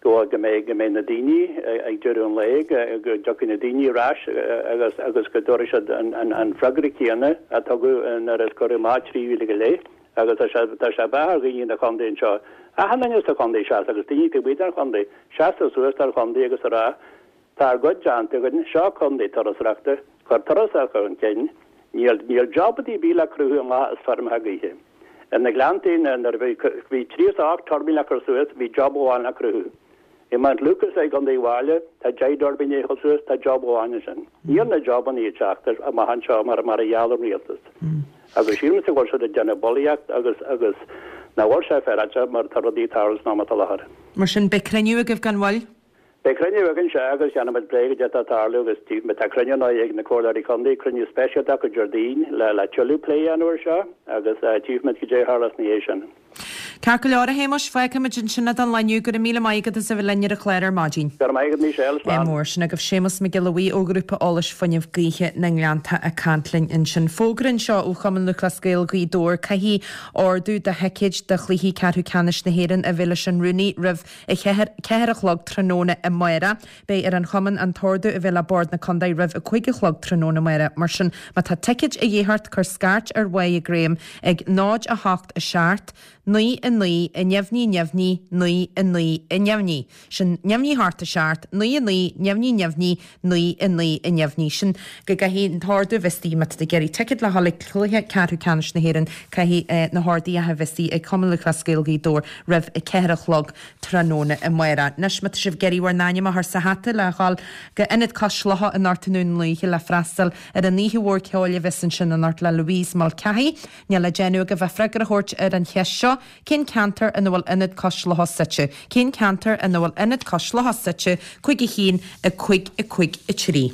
go go mbeidh go mbeidh na daoine ag deireadh an lae, go dtiocfaidh na daoine ar ais agus agus go dtabharfaidh siad an an an freagra céanna a tugadh nuair a cuireadh amach 3,000 go leith agus tá sé tá sé beatha ar dhaoine na chontae anseo, achan duine sa chontae seasamh agus daoine taobh amuigh den chontae, seasamh suas don chontae agus a rá Tá ár gcuid déanta againn, seo contae turasóireachta, cuir turasóireacht chun cinn, níl níl job ar bith le cruthú amach as feirmeacha gaoithe. Ar na Gleanntaí nuair a bhí bhí 38 tuirbín le cur suas, bhí job amháin le cruthú. I Mount Lucas i gContae Uíbh Fhailí, tá 10 dtuirbín le cur suas, tá job amháin ansin. Níl na jobannaí ag teacht amach anseo mar mar a gheall an rialtas. Agus sílimse go bhfuil siad ag déanamh bulaíocht agus agus nach bhfuil sé féaráilte mar tá rudaí ag tarlú san am atá i láthair. Mar sin, beidh cruinniú agaibh gan mhoill? Beidh cruinniú againn, sea, agus déanfaimid plé goidé atá ag tarlú agus tífimid. Tá cruinniú anois ag na Comhairleoirí Contae, cruinniú speisialta acu Déardaoin le le tuilleadh plé a dhéanamh air seo agus tífimid goidé a tharlós ina dhiaidh sin. Ceart go leor, a Shéamuis, fágfaimid ansin é don lá inniu. Go raibh míle maith agat as a bheith linn ar an chlár ar maidin. Go raibh maith agat, Michelle. Slán. Mór. Sin agaibh Séamus Mac Giolla Bhuí ó Ghrúpa Eolais Fuinneamh Gaoithe na nGleannta ag caint linn ansin. Fógra anseo ó Chumann Lúthchleas Gael Ghaoth Dobhair, caithfidh ordú do thicéid do chluichí ceathrú ceannais na hÉireann a bheith leis an rúnaí roimh a 4 a chlog tráthnóna amárach. Beidh ar an chumann an t-ordú a bheith le Bord na Condae roimh a 5 a chlog tráthnóna amárach. Mar sin, má tá ticéid a dhíth ort, cuir scairt ar Mháire Graham ag 0 8 7 9 9 neamhní neamhní 9 9 neamhní. Sin neamhní 8 7 9 9 neamhní neamhní 9 9 neamhní. Sin go gcaithfidh an t-ordú a bheith istigh má tá tú ag iarraidh ticéad le dhul ag cluiche ceathrú ceannais na hÉireann, caithfidh na horduithe a bheith istigh ag Cumann Lúthchleas Gael Ghaoth Dobhair roimh a 4 a chlog tráthnóna amárach. Anois má tá sibh ag iarraidh bhur n-ainm a chur sa hata le dhul go Ionad Cois Locha anocht i nDún Lúiche le freastal ar an oíche mhór ceoil a bheas ansin anocht le Louise Mulcahy, níl le déanamh agaibh ach freagra a thabhairt ar an cheist seo, Cén ceantar ina bhfuil Ionad Cois Locha suite? Cén ceantar ina bhfuil Ionad Cois Locha suite? 5 1 5 5 3.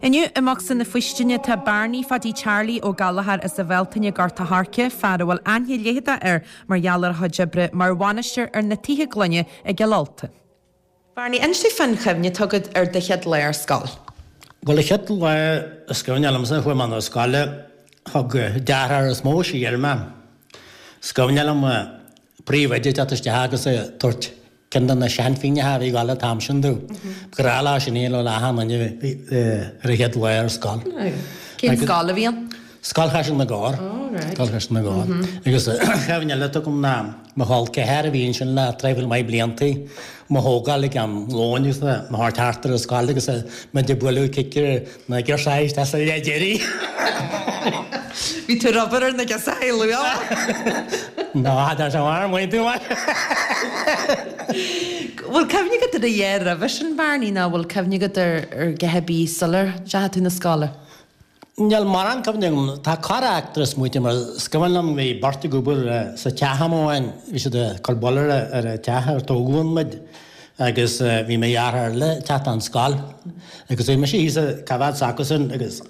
Inniu i mBocsa na Faoistine tá Bearnaí Phaidí Charlie Ó Gallchóir as an Bhealtaine, Gort a' Choirce, fear a bhfuil aithne leitheadach air mar gheall ar a chuid oibre mar bhainisteoir ar na tithe gloine i gCill Ulta. Bearnaí, inis dúinn fán chuimhne atá agat ar do chéad lá ar scoil. Bhuel, an chéad lá is cuimhne liomsa a chuaigh mé 'na scoile, thug deartháir is mó siar mé. Is cuimhne liom príomhoide ag teacht isteach agus ag tabhairt ceann de na seanphingneacha a bhí ag gabháil an t-am sin domh. Ba ghnách leo sin a dhéanamh le achan duine ar a chéad lá ar scoil. Cén scoil a bhí ann? Scoil Chaiseal na gCorr. Scoil Chaiseal na gCorr. Agus cuimhne eile atá agam ná mo chol ceathar a bhí ansin le traidhfil maith bliantaí, mo thógáil ag am lóin agus mo thabhairt thart ar an scoil agus muid ag bualadh cic ar na girseachaí isteach sa leath deiridh. Bhí tú ag obair ar na girseachaí luath. Ná, tá sé mar maith tú mar. Bhfuil cuimhne agat ar a dhath roimhe sin, Barney, nó bhfuil cuimhne agat ar a dhath ar bith sular ndeachaigh tú 'na scoile? Níl mórán cuimhne agam. Tá corr-eachtra smaointe mar is cuimhin liom bhí beirt ag obair sa teach am amháin, bhí siad ag cur buille ar an teach ar tógadh ann muid agus bhí mo dheartháir eile ag teacht ón scoil agus bhí mise thíos ag coimhéad s'acusan agus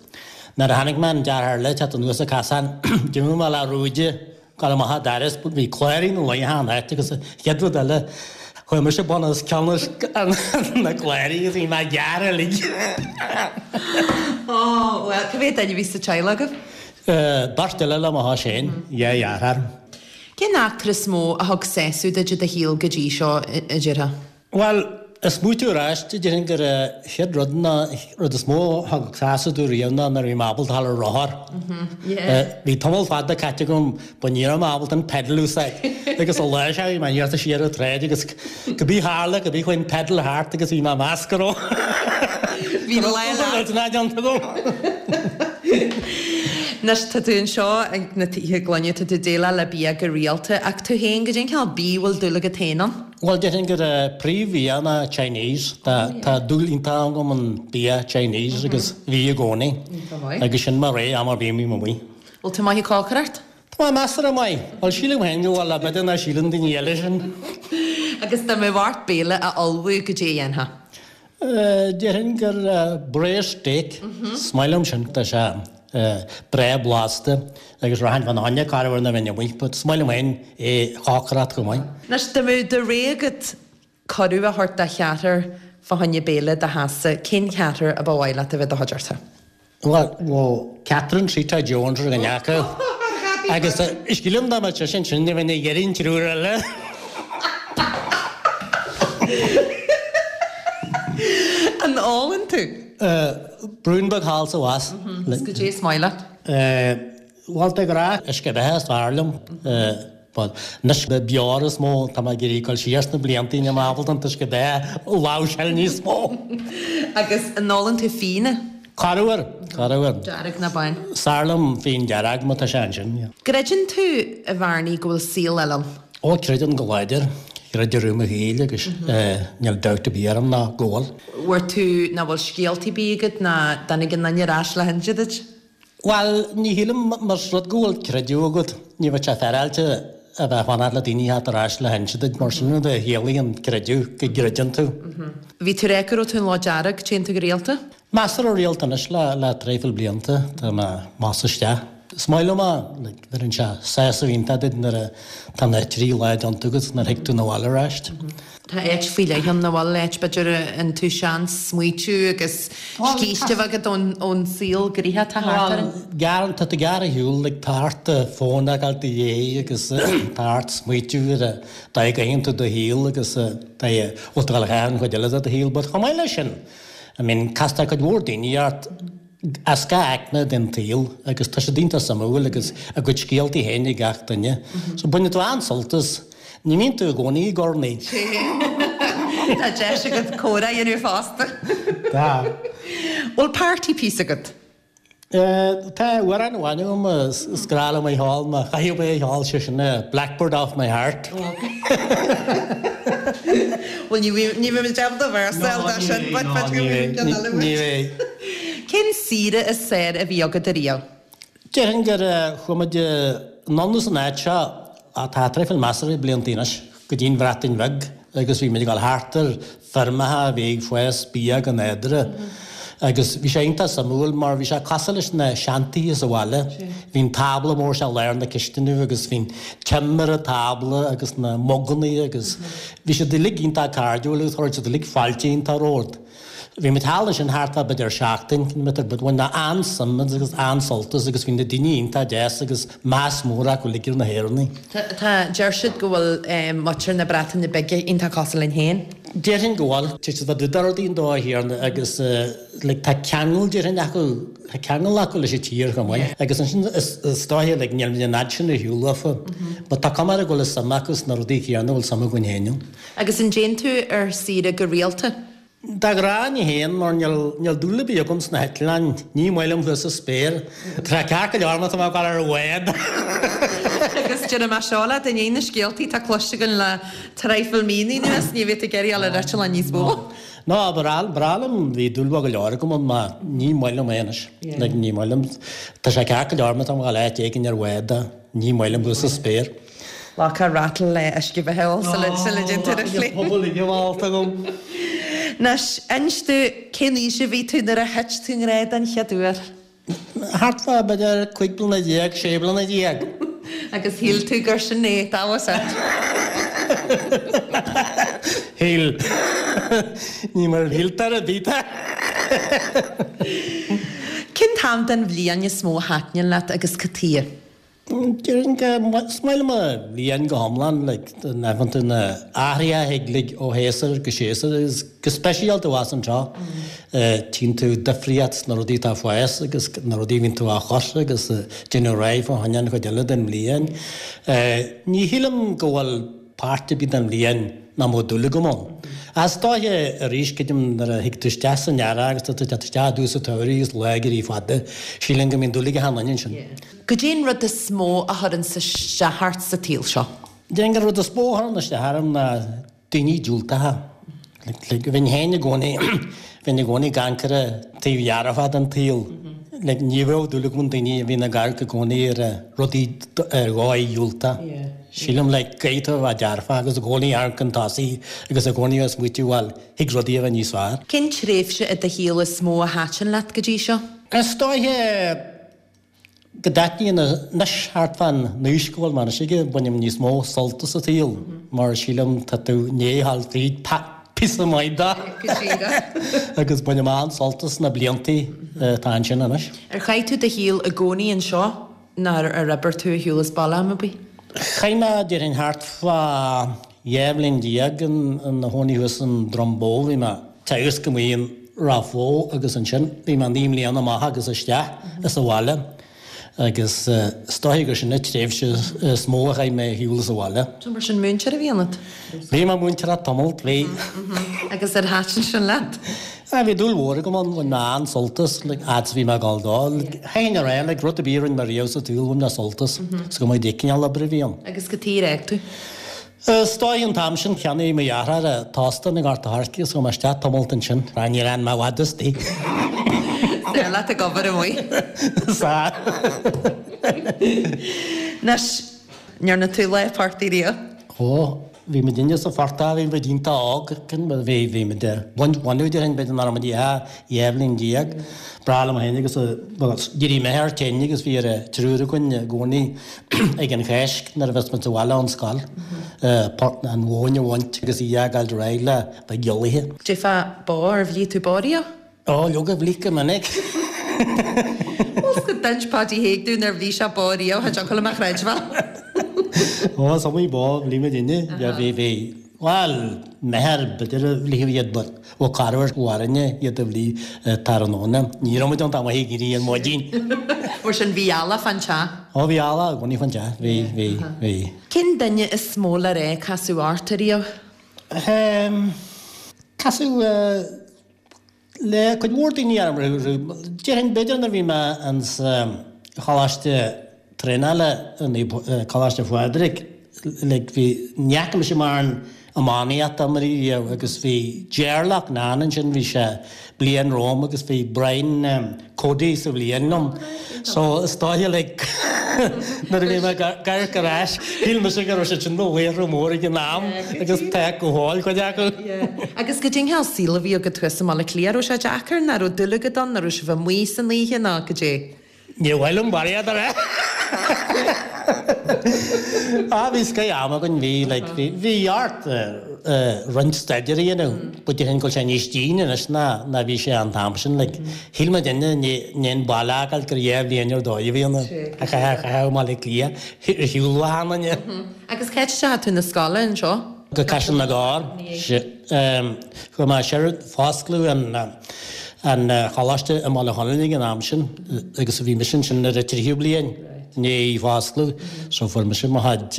nuair a chonaic mé an deartháir eile ag teacht anuas an casán d'imigh mé le rúide Gabháil amach an doras, bhí cláirín ina luí achan áit agus an chéad rud eile, chuaigh mise bun os cionn na cláirí agus bhí mé gearrtha uilig. Ó, bhuel, cá mhéad duine a bhí sa teaghlach agaibh? Beirt eile le mo chois féin, dhá dheartháir. Cén eachtra is mó a thug sásamh duit i do shaol go dtí seo, a déarfá? Bhuel. Ag smaoitiú ar ais, déarfainn gur an chéad rud ná, rud is mó a thug sásamh domh riamh ná nuair a bhí mé ábalta a dhul ar rothar. Bhí tamall fada caite agam but ní raibh mé ábalta an pedal a úsáid. Agus an lá seo bhí mé iarrta siar an tsráid agus cibé tharla, cibé chuaigh an pedal thart agus bhí mé ag meas go raibh Bhí lá leat. déanta agam. Anois tá tú anseo ag na tithe gloine, tá tú ag déileáil le bia go rialta ach tú féin, goidé an cineál bídh a bhfuil dúil agat féin ann? Bhuel, déarfainn gur príomhbhia ná Chinese. Tá dúil iontach agam an bia Chinese agus bhí i gcónaí. Agus sin mo rogha am ar bith a mbím amuigh. Bhfuil tú maith ag cócaireacht? Tá mé measartha maith. Bhuel, sílim féin go bhfuil, b'fhéidir nach síleann daoine eile sin. Agus dá mbeadh ort béile a ullmhú, goidé a dhéanfá? Déarfainn gur braised steak, is maith liom sin, tá sé breá blasta agus rachainn fána choinne corruair nuair a bheinn amuigh, but is maith liom féin é a chócaireacht chomh maith. Anois, dá mbeadh de rogha agat cuireadh a thabhairt do cheathrar fá choinne béile i do theachsa, cén ceathrar a ba mhaith leat a bheith i do chuideachta? Bhuel, Catherine Zeta Jones ar dhuine acu agus sílim dá mbeadh sise ansin ní bheinn ag iarraidh an triúr eile. An ólann tú? Braon beag thall 's abhus. Is goidé is maith leat? Bhuel, de ghnáth, uisce beatha is fearr liom. But anois le beoir is mó, tá mé ag iarraidh dul siar sna blianta, níl mé ábalta an t-uisce beatha a láimhseáil níos mó. Agus an ólann tú fíona? Corruair, corruair. Dearg ná bán? Is fearr liom fíon dearg má tá sé ansin, yeah. Gcreideann tú, a Bhearnaí, go bhfuil saol eile ann? Ó, creidim go láidir. Chreid i rith mo shaoil agus níl dabht ar bith orm ná go bhfuil. Bhfuair tú, ná bhfuil scéaltaí ar bith agat ná dtáinig aon duine ar ais le hinse duit? Bhuel, ní shílim, más rud go bhfuil creideamh agat, ní bheadh sé féaráilte a bheith ag fanacht le daoine a theacht ar ais le hinse duit, mar sin rud a chiallaíonn an creideamh, go gcreideann tú. Bhí tú ag rá go raibh tú in Loch Dearg, téann tú go rialta? Measartha rialta anois le traidhfil blianta, tá mé amach 's isteach. Is maith liom é, like, bheireann sé sásamh iontach duit nuair a tá na trí lá déanta agat nuair a thig tú 'na bhaile aráist. Tá áit faoi leith ann, an bhfuil áit, b'fhéidir, a fhaigheann tú seans smaoitiú agus scíste a bheith agat ón saol gnoitheach atá thart orainn. Bhuel, tá tú gearr ar shiúl, like, tá ort do fón a fhágáil i do dhiaidh agus tá ort smaoitiú ar an dóigh a gcaitheann tú do shaol agus an dóigh a bhfuil tú ag dul a chaitheamh an chuid eile de do shaol. But chomh maith leis sin, I mean, castar cuid mhór daoine ort, as gach aicme den tsaol agus tá siad iontach suimiúil agus a gcuid scéaltaí féin ag gach duine. So baineann tú an-sult as. Ní bhíonn tú i gcónaí ag urnaí. Tá deis agat comhrá a dhéanamh fosta. Tá. Bhfuil party piece agat? Tá amhrán amháin agam is grá liom a cheol, má chaithfidh mé é a cheol, sé sin Blackbird Off My Heart. Bhuel, ní bheidh muid ábalta véarsa a fháil dó sin, but ní bheidh. Cén saoire is fearr a bhí agat ariamh? Déarfainn gur chuaigh muid anonn as an áit seo, tá traidhfil measartha blianta anois, go dtí an Bhreatain Bheag agus bhí muid ag dul thart ar feirmeacha a bhí ag fás bia go nádúrtha agus bhí sé iontach suimiúil mar bhí sé cosúil leis na seantithe sa bhaile. Bhí an tábla mór seo i lár na cisteanaí agus bhí an t-im ar an tábla agus na muganna agus bhí siad uilig iontach cairdiúil agus chuir siad uilig fáilte iontach romhat. Bhí muid thall ansin thart fá b'fhéidir seachtain, but bhain mé an-suim agus an-sult as agus bhí na daoine iontach deas agus meas mór acu uilig ar na hÉireannaigh. Tá, deir siad go bhfuil muintir na Breataine Bige iontach cosúil linn féin. Déarfainn go bhfuil. Tá siad fá dtaobh de rudaí an dóigh chéanna agus like tá ceangal déarfainn acu, tá ceangal acu leis an tír chomh maith. Agus ansin is dóiche like níl muid an fhad sin ar shiúl uafa but tá cuma air go bhfuil suim acu sna rudaí céanna a bhfuil suim againn féin ann. Agus an dtéann tú ar saoire go rialta? De ghnáth ní théann, mar níl dúil ar bith agam sna heitleáin, ní maith liom thuas sa spéir. Tá sé ceart go leor má tá mé ag dul ar bhád. Agus déarfaidh mé seo leat, i ndiaidh na scéaltaí atá cloiste againn le traidhfil míonna anuas, ní bheidh tú ag iarraidh dul ar eitleán níos mó. No, ba bhreá liom, bhí dúil mhaith go leor agam ann, ach ní maith liom é anois. Like, ní maith liom. Tá sé ceart go leor má tá mé ag dul áit éigin ar bhád, ní maith liom thuas sa spéir. Glacadh rattle le uisce beatha ól sula dtéann tú ar an phlane. Pobal ag gabháil agam. Anois, inis domh, cén aois a bhí tú nuair a thit tú i ngrá den chéad uair? Thart fá, b'fhéidir, 15 bliana, 16 bliana. Agus shíl tú gur sin é, that was it. Shíl. Ní mar a shíltear a bhítear. Cén t-am den bhliain is mó a thaitníonn leat agus cad chuige? Déarfainn go, is maith liom an bhliain go hiomlán, like, an tú na athruithe a thig like ó shéasúr go séasúr agus go speisialta abhus anseo, tchíonn tú difríocht sna rudaí atá ag fás agus na rudaí a bhíonn tú á chur agus déanamh réidh fá choinne an chuid eile den bhliain. Ní shílim go bhfuil páirt ar bith den bhliain nach mbeadh dúil agam ann. Ach is dóiche arís, creidim, nuair a thig tú isteach san earrach agus tá tú ag teacht isteach i dtús an tsamhraidh agus lá ag éirí fada, sílim go mbíonn dúil ag achan duine ansin. Goidé an rud is mó a chuireanns isteach ort sa tsaol seo? Déarfainn gur rud is mó a chuireann isteach orm ná daoine diúltacha. Like, bheinn féin i gcónaí, bheinn i gcónaí ag amharc ar an taobh dhearfach den tsaol. Like, ní bheadh dúil agam i ndaoine a bhíonn ag amharc i gcónaí ar rudaí ar dhóigh dhiúltach. Sílim, like, caithfidh tú a bheith dearfach agus i gcónaí amharc chun tosaigh agus i gcónaí ag smaoitiú, bhuel, thig rudaí a bheith níos fearr. Cén tréimhse i do shaol is mó a thaitin leat go dtí seo? Is dóiche go dtaitníonn anois thart fán aois go bhfuil mé anois aige, bainim níos mó sult as an tsaol mar sílim tá tú i ndiaidh a ghabháil fríd píosa maith de agus bainim an-sult as na bliantaí atá ansin anois. Ar chaith tú do shaol i gcónaí anseo nó ar oibir tú ar shiúl as baile am ar bith? Chaith mé déarfainn thart fá 12 bhliain i mo chónaí thuas i nDroim Bó, bhí mé ag teagasc amuigh in Ráth Bhoth agus ansin bhí mé 9 mbliana amach agus isteach as an bhaile agus is dóiche gur sin an tréimhse is mó a chaith mé ar shiúl as an bhaile. So mar sin múinteoir a bhí ionat? Bhí mé múinteoir tamall, bhí. Agus ar thaitin sin leat? Bhí dúil mhór agam ann, bhain mé an-sult as, like, fhad is a bhí mé ag dul dó. Like, chaithfinn a rá, like, rud ar bith a rinne mé riamh sa tsaol, bhain mé sult as, is cuma cén cineál oibre a bhí ann. Agus cad chuige ar fhág tú? Is dóigh an t-am sin cheannaigh mo dheartháir t-óstán i nGort a' Choirce agus chuaigh mé isteach tamalt ansin. Á níor fhan mé i bhfad istigh. Is leat ag obair amuigh. Sea. Anois, an ndearna tú lá portaigh riamh? Ó, bhí muidinne sa phortach, bhí muid iontach óg, bhí, bhí muid, bhain, bhaineadh déarfainn b'fhéidir nach raibh muid ach 12 bhliain. Breá liom féin agus, bhuel, d'éirigh m'athair tinn agus bhí ar an triúr againn i gcónaí ag an Cháisc nuair a bheas muid sa bhaile ón scoil, port an mhóin a bhaint agus í a fhágáil réidh le bheith giollaithe. Cad é fá bó, ar bhligh tú bó riamh? Ó, leoga, bhligh go minic. Bhuel, 's go d'inis Páidí Thaidhg dúinn nár bhligh sé bó riamh, cha dtiocfadh liom a chreidbheáil. Ó, is iomaí bó a bhligh muidinne. Bhí, bhí, bhuel, m'athair b'fhéidir a bhligeadh iad but bheadh corruair mharainne iad a bhligh tráthnóna. Ní raibh muid iontach maith ag éirí ar maidin. Mar sin, bhí eallach fán teach? Ó, bhí eallach i gcónaí fán teach, bhí, bhí, bhí. Cén duine is mó le rá a casadh ort ariamh? Ehm, casadh eh, Le cuid mhór daoine ar Déarfainn b'fhéidir nuair a bhí mé ins choláiste traenála Coláiste Phádraig like bhí ní fhaca mise mórán iománaíochta riamh agus bhí Ger Loughnane ansin bhí sé bliain romham agus bhí Brian Cody sa bhliain liom. So is dóiche like nuair a bhí mé ag amharc ar ais, shíl mise go raibh siad sin ina laochra mór ag an am agus tá go fóill cuid acu. Agus goidé an cineál saol a bhí agat thuas i mBaile Átha Cliath, raibh sé deacair, nó raibh dúil agat ann, nó raibh sibh amuigh san oíche nó goidé? Níor mhaith liom barraíocht a rá. Ah bhí scoith am againn, bhí like bhí bhí ort roinnt staidéir a dhéanamh but déarfainn go bhfuil sé níos déine anois ná ná bhí sé an t-am sin like shíl muid inne an baile a fhágáil gur dhá bhliain ar dóigh a bhí ann a chaitheamh i mBaile Átha Cliath ar shiúl ó achan duine. Agus cá háit a ndeachaigh tú 'na scoile anseo? Go Caiseal na gCorr. Chuaigh mé siar, foscladh an an choláiste i mBaile Chonaill ag an am sin agus bhí mise ansin ar an tríú bliain i ndiaidh foscladh so fuair mise mo chuid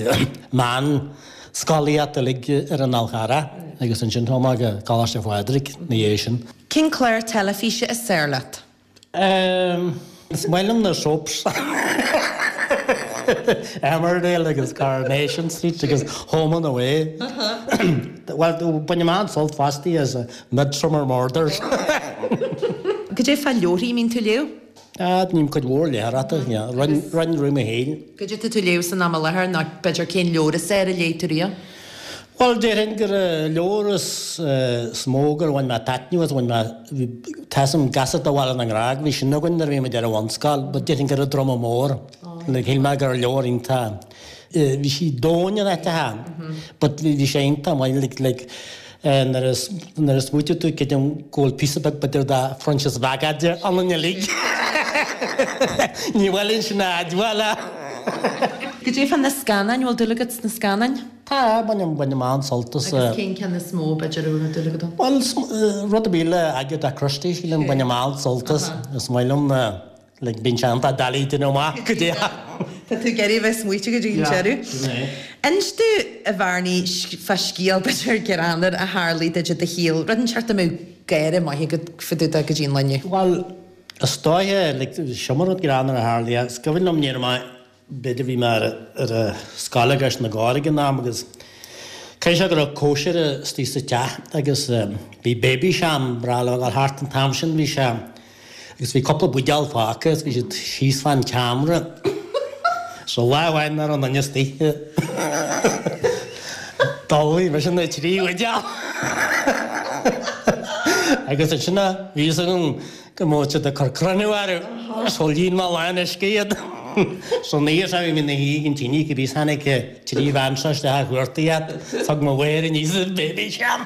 meánscolaíocht uilig ar an Fhál Charrach agus ansin chuaigh mé go Coláiste Phádraig ina dhiaidh sin. Cén clár teilifíse is fearr leat? Ehm, is maith liom na soaps. Emmerdale agus Coronation Street agus Home and Away. Bhuel, bainim an-sult fosta as Midsomer Murders. Goidé fá leabharthaí, an mbíonn tú ag léamh? Ah, ním cuid mhór léitheoireachta, yeah. Roinn, roinn rith mo shaoil. Goidé tá tú ag léamh san am i láthair nó b'fhéidir cén leabhar is fearr a léigh tú riamh? Bhuel, déarfainn gur leabhar is mó gur bhain mé taitneamh as, bhain mé, tá 'fhios a'm Gasúr de Bhaile na nGrág, bhí sin againn nuair a bhí muid ar an bhunscoil, but déarfainn gur An Druma Mór, like shíl mé gur leabhar iontach, bhí sí domhain in áiteacha, but bhí sé iontach maith, like, like nuair a, nuair a smaoitigh tú creidim go bhfuil píosa beag b'fhéidir de Phroinsias Mhac Adair ionainn uilig. Ní bhfuil sin a admháil. Goidé fá na scannáin, bhfuil dúil agat sna scannáin? Tá, bainim, bainim an-sult as. Agus cén ceann is mó, b'fhéidir, a bhfuil dúil agat ann? Bhuel, rud ar bith le Agatha Christie, sílim, bainim an-sult as. Is maith liom na, like, bíonn sé iontach doiligh déanamh amach goidé. Tá tú ag iarraidh a bheith smaoiteach go dtí an deireadh. Sin é. Inis domh, a Bhearnaí, fá scéal, b'fhéidir, greannmhar a tharlaigh duit i do shaol, rud inteacht a mbeadh gáire maith agat fá dtaobh de go dtí an lá inniu. Bhuel, is dóiche, like, seo mar rud greannmhar a tharlaigh. Is cuimhin liom, ní raibh mé, B'fhéidir bhí mé ar an scoil i gCois na gCorr ag an am agus caithfidh sé go raibh cóisir istigh sa teach agus bhí Babycham breá le dhul thart an t-am sin bhí sé agus bhí cúpla buidéal fágtha agus bhí siad síos fán tseomra so lá amháin nach raibh aon duine istigh d'fholmhaigh mise na trí bhuidéal agus ansin a bhí fhios agam go mbeadh siad ag cur cruinniú orthu so líon mé lán uisce iad. San oíche seo bhí mé ina shuí ag an tine cibé is tháinig an trí bhean seo isteach a chuartaigh iad. Thug mo mháthair aníos an Babycham.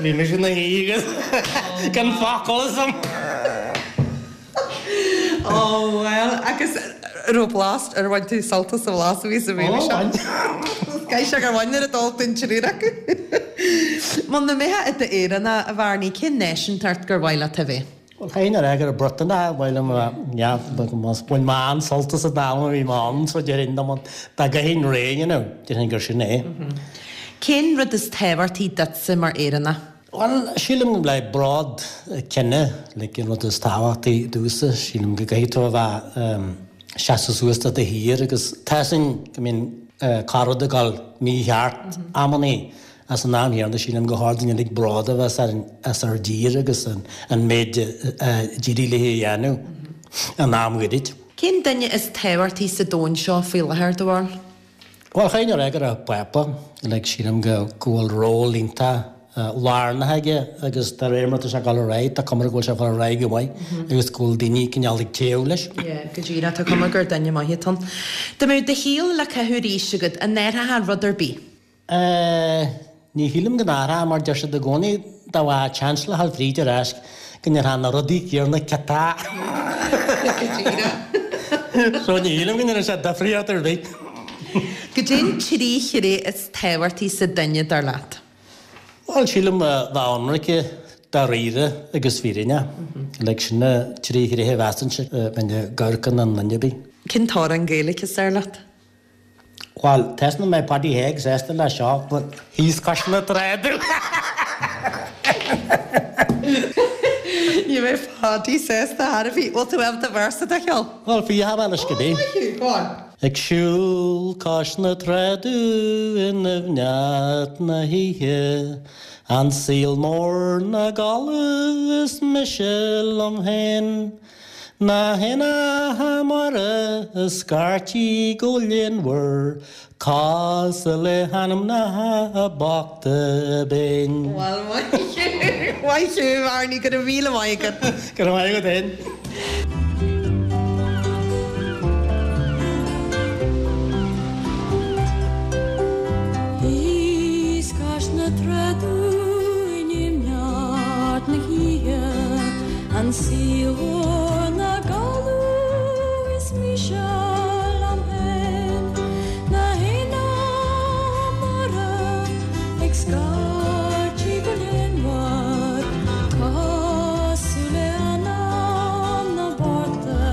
Bhí mise ina shuí agus gan focal asam. Ó bhuel, agus raibh blas, ar bhain tú sult as an bhlas a bhí sa Babycham? Ó bhain. Caithfidh sé gur bhain nuair a d'ól tú an triúr acu. Muna mbeifeá i d'Éireannach, a Bhearnaí, cén náisiúntacht gur mhaith leat a bheith? Bhuel, chaithfinn a rá gur Briotanach ba mhaith liom a bheith. Bhain mé an-sult as an am a bhí mé ann, so déarfainn dá gcaithfinn rogha a dhéanamh, déarfainn gur sin é. Cén rud is tábhachtaí duitse mar Éireannach? Bhuel, sílim le bród cine, like an rud is tábhachtaí domhsa, sílim go gcaithfidh tú a bheith seasamh suas do do thír agus tá 'fhios a'inn go mbíonn corr-rud ag dul mícheart amannaí ach san am chéanna sílim gur chóir dúinn uilig bród a bheith as ár dtír agus an méid a d'éirigh léi a dhéanamh in am ghoirid. Cén duine is tábhachtaí sa domhan seo faoi láthair, do bharúil? Bhuel, chaithfinn a rá gur an Pápa, like, sílim go go bhfuil ról iontach lárnach aige agus de réir mar atá sé ag dul ar aghaidh, tá cuma air go bhfuil sé ag dul ar aghaidh go maith agus go bhfuil daoine cineál ag téamh leis. Yeah, go díreach, tá cuma gur duine maith atá ann. Dá mbeadh do shaol le caitheamh arís agat, an athrófá rud ar bith? Eh, ní shílim go n-athrófá mar deir siad i gcónaí dá bhfaighfeá chance le dhul fríd ar ais go ndéarfá na rudaí céanna ciotach. Go díreach. So ní shílim go ndéanfadh sé difríocht ar bith. Goidé an trí thréith is tábhachtaí sa duine dar leat? Bhuel, sílim a bheith ionraice, dáiríre agus fírinneach. Like, sin na trí thréith a mheasainnse a bheinn ag amharc i nduine ar bith. Cén t-amhrán Gaeilge is fearr leat? Bhuel, tá 'fhios a'm nach mbeidh Paddy Hague sásta leis seo, but thíos cois na trá domh. Ní bheidh Paddy sásta ar bith. Bhfuil tú ábalta véarsa de a cheol? Bhuel, phíofa mé leis cibé. Ó, maith thú, go on. Ag siúl cois na trá domh i ndoimhneacht na hoíche, an saol mór 'na gcodladh is mise liom féin. Na héanacha mara ag scairtigh go léanmhar, cosúil le hanamnacha bochta binn. Bhuel, maith thú, maith thú, a Bhearnaí, go raibh míle maith agat. Go raibh maith agat féin. Thíos cois na trá domh i ndoimhneacht na hoíche, An saol mór 'na gcodladh is mise liom féin, Na héanacha mara ag scairtigh go léanmhar, Cosúil le anam na bochta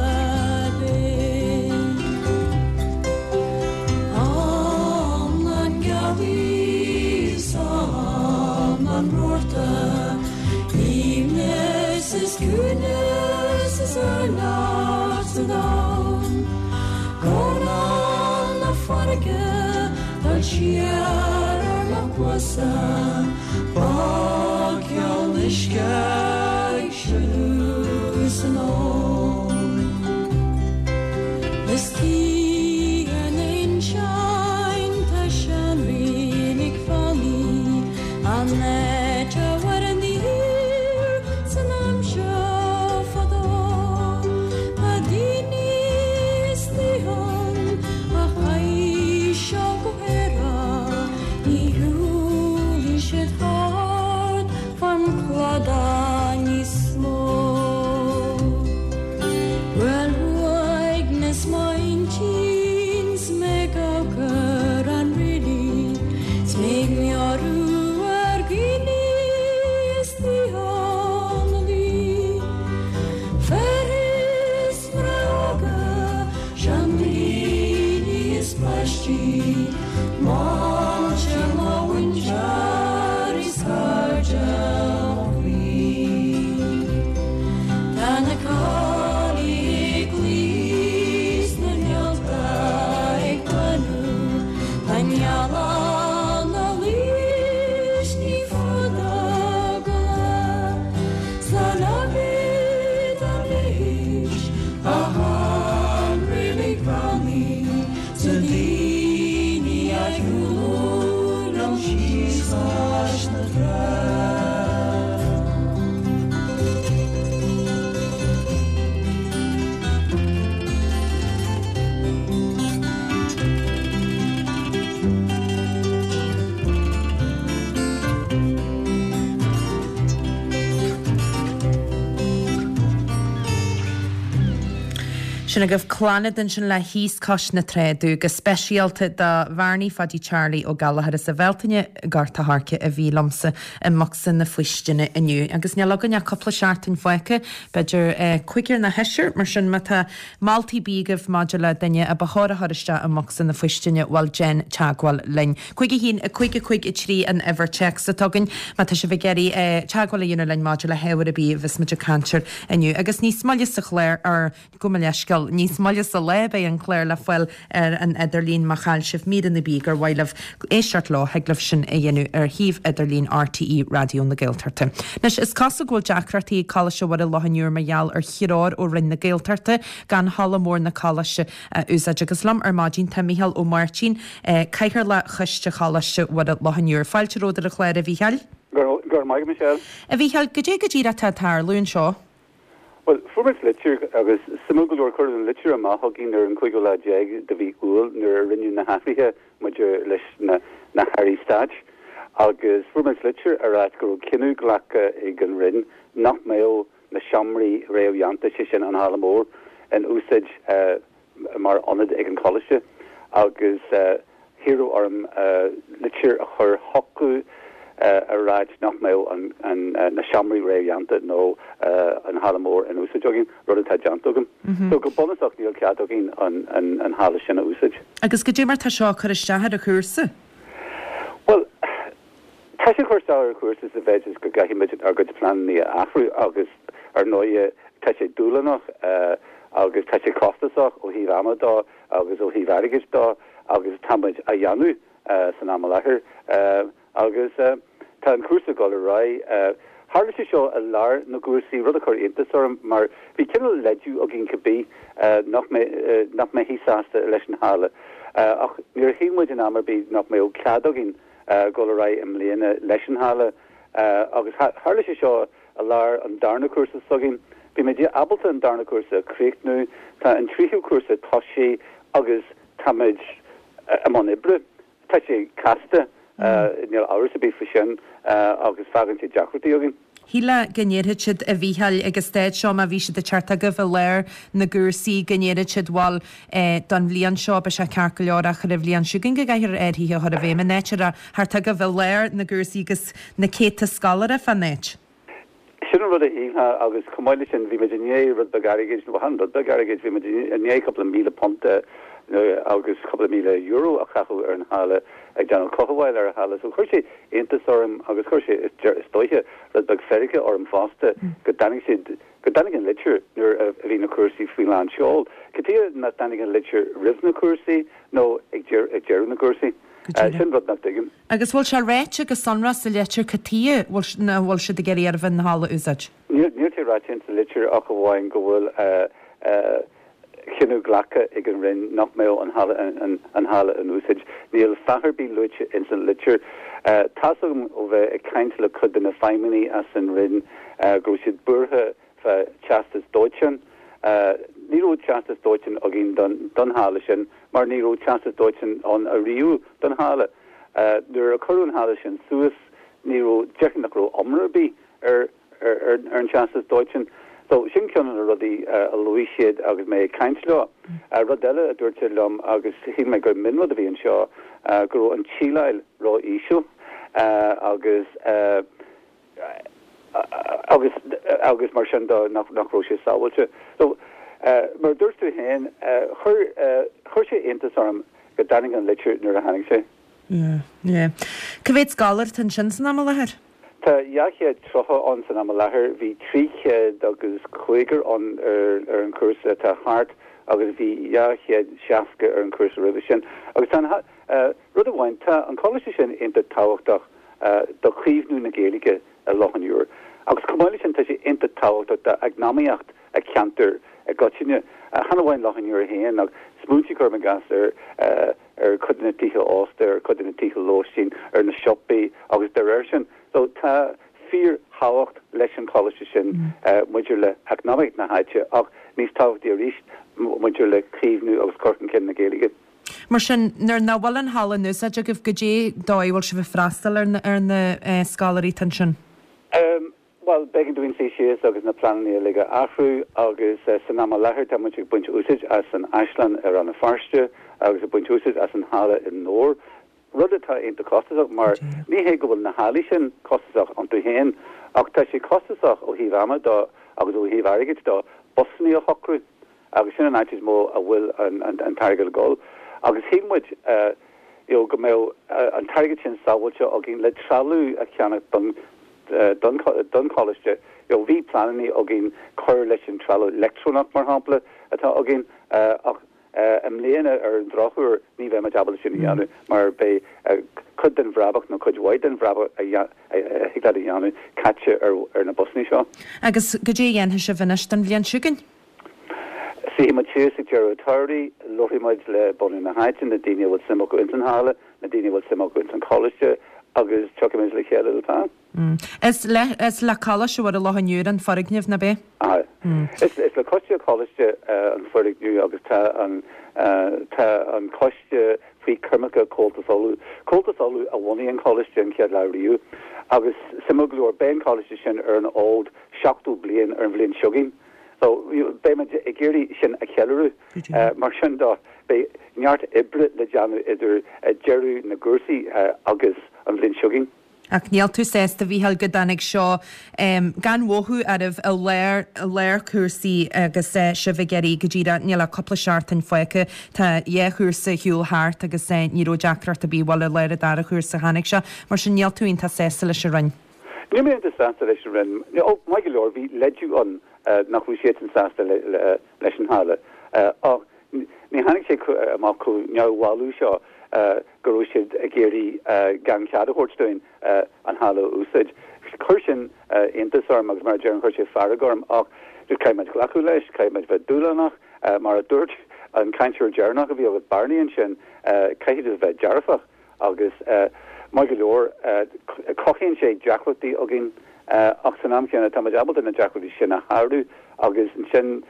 binn. Am na ngealaí 's am an rabharta, Aoibhneas is ciúnas is urlár sa domhan, Guairneán na farraige dul siar ar mo chluasa, Bogcheol uisce ag sileadh san abhainn. Istigh ar na hinseáin tá seanreilig fánaí, An áit a mhair an fhíor san aimsir fadó, Tá daoine istigh ann a chaith seo go hAerach, Ní shiúlfaidh siad thart fán chladach níos mó. Seandaoine is páistí, Máilte mo mhuintir is cairde mo chroí. Tá na coinnle ag luí 's na réalta ag breathnú, Tá an ghealach 'na luí 's ní fada go lá. Slán agat anois, a shean-reilig bheannaithe, 's na daoine a shiúlann liom síos cois na trá. Sin agaibh Clannad ansin le Thíos Cois na Trá Domh, go speisialta do Bhearnaí Phaidí Charlie Ó Gallchóir as an Bhealtaine i nGort a' Choirce a bhí liomsa i mbocsa na faoistine inniu. Agus níl againn ach cúpla seachtain fágtha, b'fhéidir cúigear nó seisear, mar sin má tá moltaí ar bith agaibh maidir le duine a ba chóir a chur isteach i mbocsa na faoistine, bhuel déan teagmháil linn. 5 1 5 5 3 an uimhir téacs atá againn má tá sibh ag iarraidh teagmháil a dhéanamh linn maidir le hábhar ar bith a bheas muid ag caint air inniu. Agus níos moille sa chlár, ar, gabh mo leithscéal, níos moille sa lá beidh an clár le fáil ar an idirlíon má chaill sibh míreanna ar bith gur mhaith libh éisteacht leo, thig libh sin a dhéanamh ar shuíomh idirlín RTÉ Raidió na Gaeltachta. Anois, is cosúil go bhfuil deacrachtaí ag Coláiste Mhuire Loch an Iúir mar gheall ar threoir ó Roinn na Gaeltachta gan halla mór na Coláiste a úsáid. Agus liom ar maidin tá Mícheál Ó Máirtín, Cathaoirleach Choiste Choláiste Mhuire Loch an Iúir. Fáilte romhat ar an chlár, a Mhícheáil. Go raibh maith agat, Michelle. A Mhícheáil, goidé go díreach atá ag tarlú anseo? Bhuel, fuair muid litir, agus suimiúil go leor, cuireadh an litir amach chugainn ar an cúigiú lá déag de mhí Iúil nuair a rinneadh na hathruithe maidir leis na na hairí stáit, agus fuair muid litir ag ráit go raibh cinneadh glactha ag an Roinn nach mbeadh na seomraí réamhdhéanta, sé sin an halla mór, in úsáid mar ionad ag an choláiste agus hiarradh orm litir a chur chucu ag ráit nach mbeadh na seomraí réamhdhéanta nó an halla mór in úsáid againn, rud atá déanta agam. So go bunúsach níl cead againn an halla sin a úsáid. Agus goidé mar tá seo ag cur isteach ar an chúrsa? Bhuel, Tá sé ag cur isteach ar an chúrsa sa mhéid is go gcaithfidh muid ár gcuid pleananna a athrú agus ar ndóighe tá sé dúshlánach agus tá sé costasach ó thaobh ama dó agus ó thaobh airgid dó agus tá muid á dhéanamh san am i láthair agus tá an cúrsa ag dul ar aghaidh. Tharla sé seo i lár na gcúrsaí, rud a chuir iontas orm mar bhí cineál leideadh againn cibé nach nach mbeifí sásta leis an halla ach níor shíl muid in am ar bith nach mbeadh cead againn dul ar aghaidh i mbliana leis an halla agus tharla sé seo i lár an darna cúrsa s'againn. Bhí muid ábalta an darna cúrsa a chríochnú, tá an tríú cúrsa tosaithe agus tá muid i mbun oibre. Tá sé casta, níl amhras ar bith faoi sin agus fágann sé deacrachtaí againn. Shílfeá go ndéarfadh siad, a Mhícheáil, ag an staid seo, má bhí siad ag teacht chugaibh i lár na gcúrsaí, go ndéarfadh siad, bhuel, don bhliain seo beidh sé ceart go leor ach ar an bhliain seo chugainn go gcaithfear athruithe a chur i bhfeidhm in áit a raibh thart chugaibh i lár na gcúrsaí agus na céadta scoláire fán áit. Sin an rud a shílfeá agus chomh maith leis sin bhí muid i ndiaidh rud beag airgid, nó chan rud beag airgid, bhí muid i ndiaidh cúpla £1,000 agus cúpla €1,000 a chaitheamh ar an halla ag déanamh cothabháil ar an halla. So chuir sé iontas orm agus chuir sé, is dóiche, rud beag feirge orm fosta go dtáinig siad, go dtáinig an litir nuair a bhí na cúrsaí faoi lán seol. Cad chuige nach dtáinig an litir roimh na cúrsaí nó ag deireadh na gcúrsaí? Sin rud nach dtuigim. Agus bhfuil sé ráite go sonrach sa litir cad chuige nach bhfuil siad ag iarraidh oraibh an halla a úsáid? Níl sé ráite insa litir ach amháin go bhfuil cinneadh glactha ag an Roinn nach mbeadh an halla in úsáid. Níl fáth ar bith luaite ins an litir. Tá's agam ó bheith ag caint le cuid de na feidhmeannaigh as an Roinn go raibh siad buartha fá teastas dóiteáin. Ní raibh teastas dóiteáin againn don halla sin mar ní raibh teastas dóiteáin ann ariamh don halla. Nuair a cuireadh an halla sin suas ní raibh, déarfainn nach raibh iomrá ar bith ar ar an teastas dóiteáin. So, sin ceann de na rudaí a luaigh siad agus mé ag caint leo. Rud eile a dúirt siad liom agus shíl mé gur mionrud a bhí anseo, go raibh an tsíleáil ró-íseal agus agus agus mar sin de nach nach raibh sé sábháilte. So. Mar a dúirt tú féin, chuir, chuir sé iontas orm go dtáinig an litir nuair a tháinig sé. Yeah, yeah. Cá mhéad scoláire atá ansin san am i láthair? Tá 230 ann san am i láthair. Bhí 300 agus cúigear ann ar ar an chúrsa atá thart agus bhí 260 ar an chúrsa roimhe sin. Agus tá an, rud amháin, tá an coláiste sin iontach tábhachtach do chaomhnú na Gaeilge i Loch an Iúir. Agus chomh maith leis sin tá sé iontach tábhachtach d'eacnamaíocht an cheantair i gcoitinne, chan amháin Loch an Iúir féin ach smaointigh cuirim i gcás ar ar chuid de na tithe ósta, ar chuid de na tithe lóistín, ar na siopaí agus dá réir sin. So tá fíorthábhacht leis an choláiste sin maidir le heacnamaíocht na háite ach níos tábhachtaí arís maidir le caomhnú agus cur chun cinn na Gaeilge. Mar sin, nuair nach bhfuil an halla in úsáid agaibh, goidé dóigh a bhfuil sibh ag freastal ar na ar na scoláirí atá ansin? Bhuel, b'éigean dúinn suí síos agus na pleananna uilig a athrú agus san am i láthair tá muid ag baint úsáid as an Áislann i Rann na Feirste agus ag baint úsáid as an halla i nDobhar, rud atá iontach costasach mar ní hé go bhfuil na hallaí sin costasach iontu féin ach tá sé costasach ó thaobh ama de agus ó thaobh airgid de busanna a shocrú agus sin an áit is mó a bhfuil an t-airgead ag dul agus shíl muid you know go mbeadh an t-airgead sin sábháilte againn le trealamh a cheannach don don choláiste. You know bhí pleananna againn cur leis an trealamh leictreonach mar shampla atá againn ach i mbliana ar an drochuair ní bheidh muid ábalta sin a dhéanamh mar beidh cuid den bhrabach nó cuid mhaith den bhrabach a thig leat a dhéanamh caite ar na busanna seo. Agus goidé a dhéanfaidh sibh anois don bhliain seo chugainn? Suífidh muid síos ag deireadh an tsamhraidh, labharfaidh muid le bunadh na háite, na daoine a bhfuil suim acu ins an halla, na daoine a bhfuil suim acu ins an choláiste agus tiocfaidh muid le chéile le plean. Is le, is le Coláiste Mhuire Loch an Iúir an foirgneamh, nach ea? Aye. Is, is le coiste an choláiste an foirgneamh agus tá an, tá an coiste faoi choimirce Comhaltas Uladh. Comhaltas Uladh a bhunaigh an coláiste an chéad lá riamh agus suimiúil go leor beidh an coláiste sin ar an fhód 70 bliain ar an bhliain seo chugainn. So, beidh muid ag iarraidh sin a cheiliúradh. Mar sin de, beidh neart oibre le déanamh idir deireadh na gcúrsaí agus an bhliain seo chugainn. Ach níl tú sásta, a Mhícheáil, go dtáinig seo gan mhothú oraibh i lár, i lár cúrsaí agus sibh ag iarraidh go díreach, níl ach cúpla seachtain fágtha, tá dhá chúrsa ar shiúl thart agus ní raibh deacracht ar bith, bhuel i lár an dara chúrsa a tháinig seo, mar sin níl tú iontach sásta leis an Roinn. Níl mé iontach sásta leis an Roinn. Ó, maith go leor, bhí leideadh ann nach raibh siadsan sásta leis an halla. Ach ní tháinig sé amach chomh neamhbhalbh seo go raibh siad ag iarraidh gan cead a thabhairt dúinn an halla a úsáid. Chuir sin iontas orm agus mar a deirim, chuir sé fearg orm. Ach just caithfidh muid glacadh leis, caithfidh muid bheith dúshlánach. Mar a dúirt an cainteoir deireanach a bhí agat, Barney ansin, caithfidh tú bheith dearfach. Agus maith go leor, cothaíonn sé deacrachtaí againn, ach san am chéanna tá muid ábalta na deacrachtaí sin a shárú agus ansin,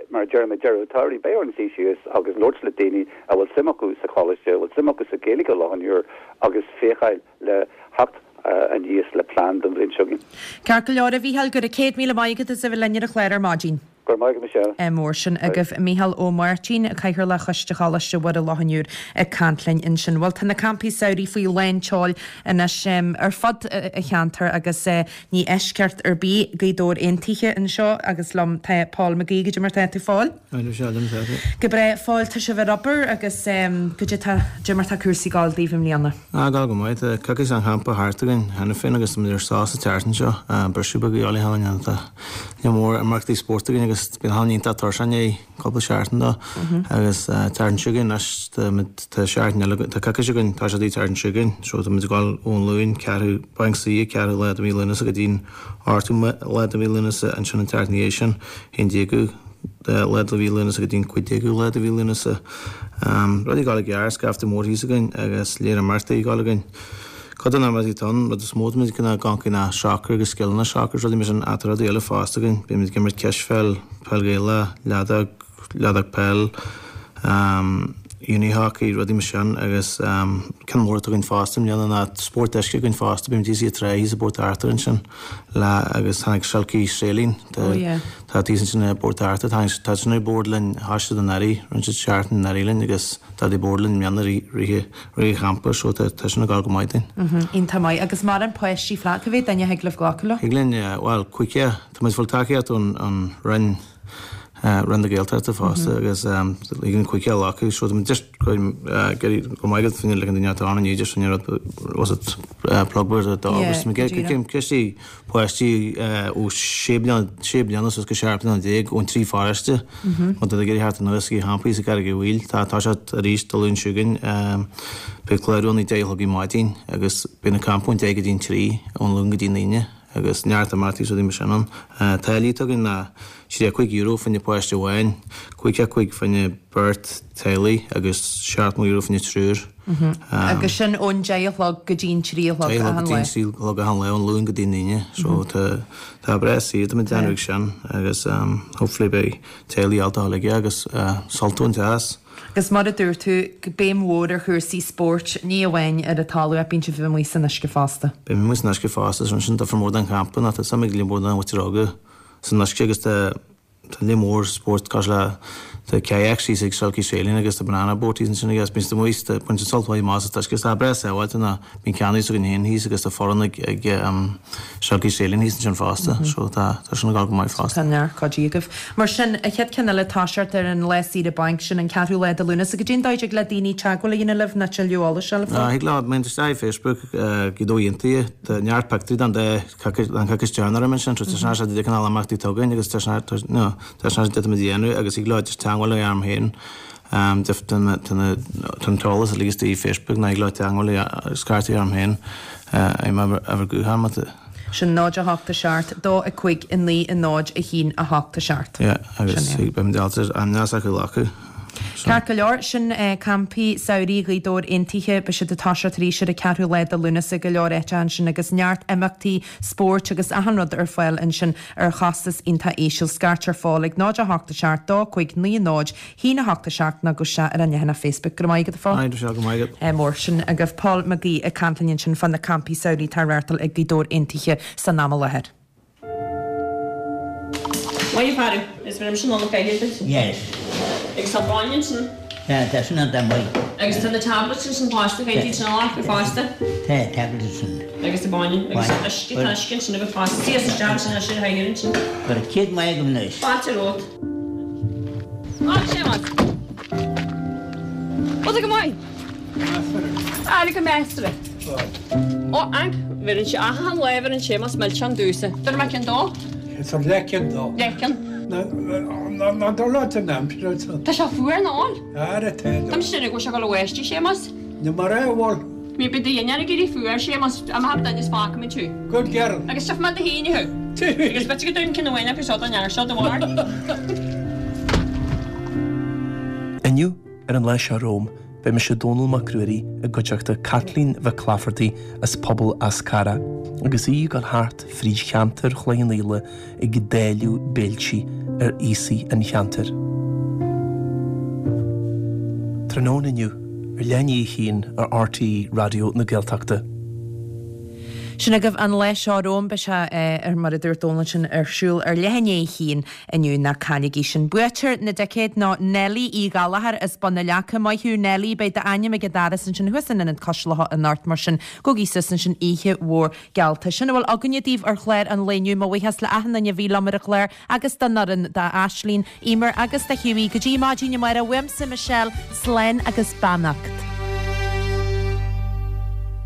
mar a deirim, ag deireadh an tsamhraidh, beidh orainn suí síos agus labhairt le daoine a bhfuil suim acu sa choláiste, a bhfuil suim acu sa Ghaeilge i Loch an Iúir agus féacháil le theacht aníos le plean don bhliain seo chugainn. Ceart go leor, a Mhícheáil, go raibh 100,000 maith agat as a bheith linn ar an chlár ar maidin. Go raibh maith agat Michelle. Mór sin agaibh. Mícheál Ó Máirtín, Cathaoirleach Choiste Choláiste Mhuire Loch an Iúir ag caint linn ansin. Bhuel tá na campaí samhraidh faoi lán tseoil anois ar fud an cheantair agus ní eisceacht ar bith Gaoth Dobhair Aontaithe anseo agus liom tá Paul McGee. Goidé mar tá tú a Phóil? Hi Michelle, conas tá tú? Go breá. A Phóil, tá sibh ar obair agus goidé tá, goidé mar tá cúrsaí ag gabháil daoibh i mbliana? Ah, ag gabháil go maith. Tá coicís an champa thart againn cheana féin agus tá muid ar sos an tseachtain seo. Briseadh beag a dhíobháil cheana tá. Lear mór imeachtaí spóirt againn agus bíonn achan duine iontach tuirseach i ndiaidh cúpla seachtain dó agus tseachtain seo chugainn anois tá muid tá seachtain eile againn tá coicís againn tá sé an tseachtain seo chugainn so tá muid ag dul ón Luan ceathrú Banc Suí ceathrú lá de mhí Lúnasa go dtí an ochtú lá de mhí Lúnasa ansin an tseachtain ina dhiaidh sin haon déagú lá de mhí Lúnasa go dtí an cúig déagú lá de mhí Lúnasa. Rudaí ag dul i gceart, scaifte mór thíos againn agus lear imeachtaí ag dul againn. Cuid de na himeachtaí atá ann, rud is mó táimid ag gabháil ná sacar agus scileanna sacair is rudaí mar sin ach tá rudaí eile fosta againn. Beimid ag imirt cispheil, peil Ghaelach, leadóg, leadóg peil, unihockey, rudaí mar sin agus ceann mór atá againn fosta i mbliana ná spórt uisce againn fosta. Beimid thíos i trá thíos i bPort Arthur ansin le agus tháinig Silky Sailing oh yeah tá thíos ansin i bPort Arthur tháinig tá sin ar bord linn thosaigh siad anuraidh rinne siad seachtain anuraidh linn agus tá siad ar bord linn i mbliana i rith Rith an champa so tá sin ag gabháil go maith dúinn. Iontach maith. Agus mórán páistí flat, cá mhéad duine a thig libh glacadh leo? Thig linn, bhuel, cúigear. Tá muid ag fáil tacaíocht ón Roinn. Roinn na Gaeltachta fosta agus ag an quick-sell acu so tá muid just go maith agat fá like an duine atá ann inniu just an rud was it plug word a dog agus tá muid ag cistí páistí ó sé bliana sé bliana suas go 17 bliana ón trí pharóiste má tá tú ag iarraidh theacht anuas go campaí sa gCarraig Mhaoil tá tá sé arís Dé Luain seo chugainn beidh clárú ann ag 10 a chlog ar maidin agus beidh na campaí ón 10 go dtí an 3 ón Luan go dtí an Aoine. Agus neart imeachtaí is rudaí mar sin ann. Táillí atá againn ná €35 fá choinne páiste amháin, 55 fá choinne beirt teaghlaigh agus €70 fá choinne triúr. Agus sin ón deich a chlog go dtí an trí a chlog achan lá. Deich a chlog go dtí an trí a chlog achan lá, ón Luan go dtí an Aoine. So tá tá breá saor tá muid ag déanamh ag sin agus hopefully beidh teaghlaigh ábalta a dhul aige agus sult a bhaint as. Agus mar a dúirt tú, béim mhór ar chúrsaí spóirt, ní amháin ar an talamh ach bíonn sibh amuigh san uisce fosta. Bíonn muid amuigh san uisce fosta, so sin difear mór don champa ná tá suim ag líon mór den mhuintir óga san uisce agus tá tá líon mór spórt cosúil le tá kayak síos ag Silky Sailing agus tá banana boat thíos ansin agus bíonn siad amuigh tá baint sult mhaith amach as an uisce agus tá breá sábháilte ná bíonn canoes againn féin thíos agus tá foireann ag ag Silky Sailing thíos ansin fosta so tá tá sin ag dul go maith fosta. Tá neart cuidí agaibh. Mar sin, an chéad ceann eile toiseacht ar an lá saoire bainc, sin an ceathrú lá de Lúnasa. Goidé an dóigh a dtig le daoine teagmháil a dhéanamh libh nó tuilleadh eolais a fháil fá? Thig leo, má théann isteach ar Facebook, Gaoth Dobhair Aontaithe, tá neart pictiúirí den dá den choicís deireanach roimhe sin, so tá sin sé de cineál imeachtaí atá againn agus tá sin no tá sin sé de dhéanamh agus thig leo just teagmháil a dhéanamh orm féin. Tá an t-eolas uilig istigh ar Facebook nó thig leo teagmháil a scairt a dhéanamh orm féin ar m'uimhir gutháin má tá. Sin 0 8 7 2 5 9 0 1 8 7. Yeah, agus beidh muid ábalta ainmneacha s'acu a ghlacadh. Ceart go leor, sin campaí samhraidh Ghaoth Dobhair Aontaithe. Beidh siad ag toiseacht arís ar an ceathrú lá de Lúnasa, go leor áiteacha ansin agus neart imeachtaí spóirt agus achan rud ar fáil ansin ar chostas iontach íseal. Scairt ar fáil ag 0 8 7 2 5 9 0 1 8 7 nó gabh isteach ar an leathanach Facebook. Go raibh maith agat, a Phóil. Aye, go raibh maith agat. Mór sin agaibh. Paul Mac Aoidh ag caint linn ansin fá na campaí samhraidh atá á reáchtáil ag Gaoth Dobhair Aontaithe san am i láthair. Maith a fhear, is bhí sin ann feithid duit. Yes. Agus tá bainne ansin. Tá, tá sin ann maith. Agus tá na tablets ansin fosta, caithfidh iad sin a ghlacadh fosta. Tá, tablets ansin. Agus tá bainne, agus uisce, tá uisce ansin agat fosta. Suigh isteach ansin ar sin a thaidhir ansin. Go raibh céad maith agam anois. Fáilte romhat. Á, Séamas. Bhfuil tú go maith? Measartha. Go measartha. Ó, anc, bheireann sé achan lá bheireann Séamas milseán domhsa. Tabhair mé ceann dó. Is ar leithcheann dó. Leithcheann. Ná dul leat an aimsir ansan. Tá sé fuar ná fhuil? Ara tá. Tá mise ag déanamh go bhfuil sé ag dul a bháisteach, Séamas. Ní mar é a bhfuil. Ní bith do dhéanamh ag éirí fuar, Séamas, I'm happy duine is fágfaidh mé tú. Good girl. Agus tiocfaidh mé do thí inniu. Agus b'fhéidir go dtabharfainn ceann amháin acu seo don fhear seo do bharr. Inniu, ar an lá seo romham, beidh mise Dónall Mac Ruairí i gcuideachta Caitlín Mhic Laifeartaigh as Pobal Eas Carrach agus í ag dul thart fríd cheantar Chloich Cheann Fhaola ag dáileadh béiltí ar aosaigh an cheantair. Tráthnóna inniu, ar leath i ndiaidh a haon ar RTÉ Raidió na Gaeltachta. Sin agaibh an lá seo romham, beidh sé, ar mar a dúirt Dónal ansin, ar siúl ar leath i ndiaidh a haon inniu, ná cailligí sin. Buaiteoir na dticéad ná Nellie Uí Ghallchóir as Bun na Leaca. Maith thú Nellie, beidh d'ainm ag an doras ansin thuas in Ionad Cois Locha anocht, mar sin gabhaigí suas ansin oíche mhór Gealta. Sin a bhfuil againne daoibh ar chlár an lae inniu. Mo bhuíochas le achan duine a bhí liom ar an chlár agus don fhoireann, d'Aislín, Emer agus do Hughie. Go dtí maidin amárach, uaimse Michelle, slán agus beannacht.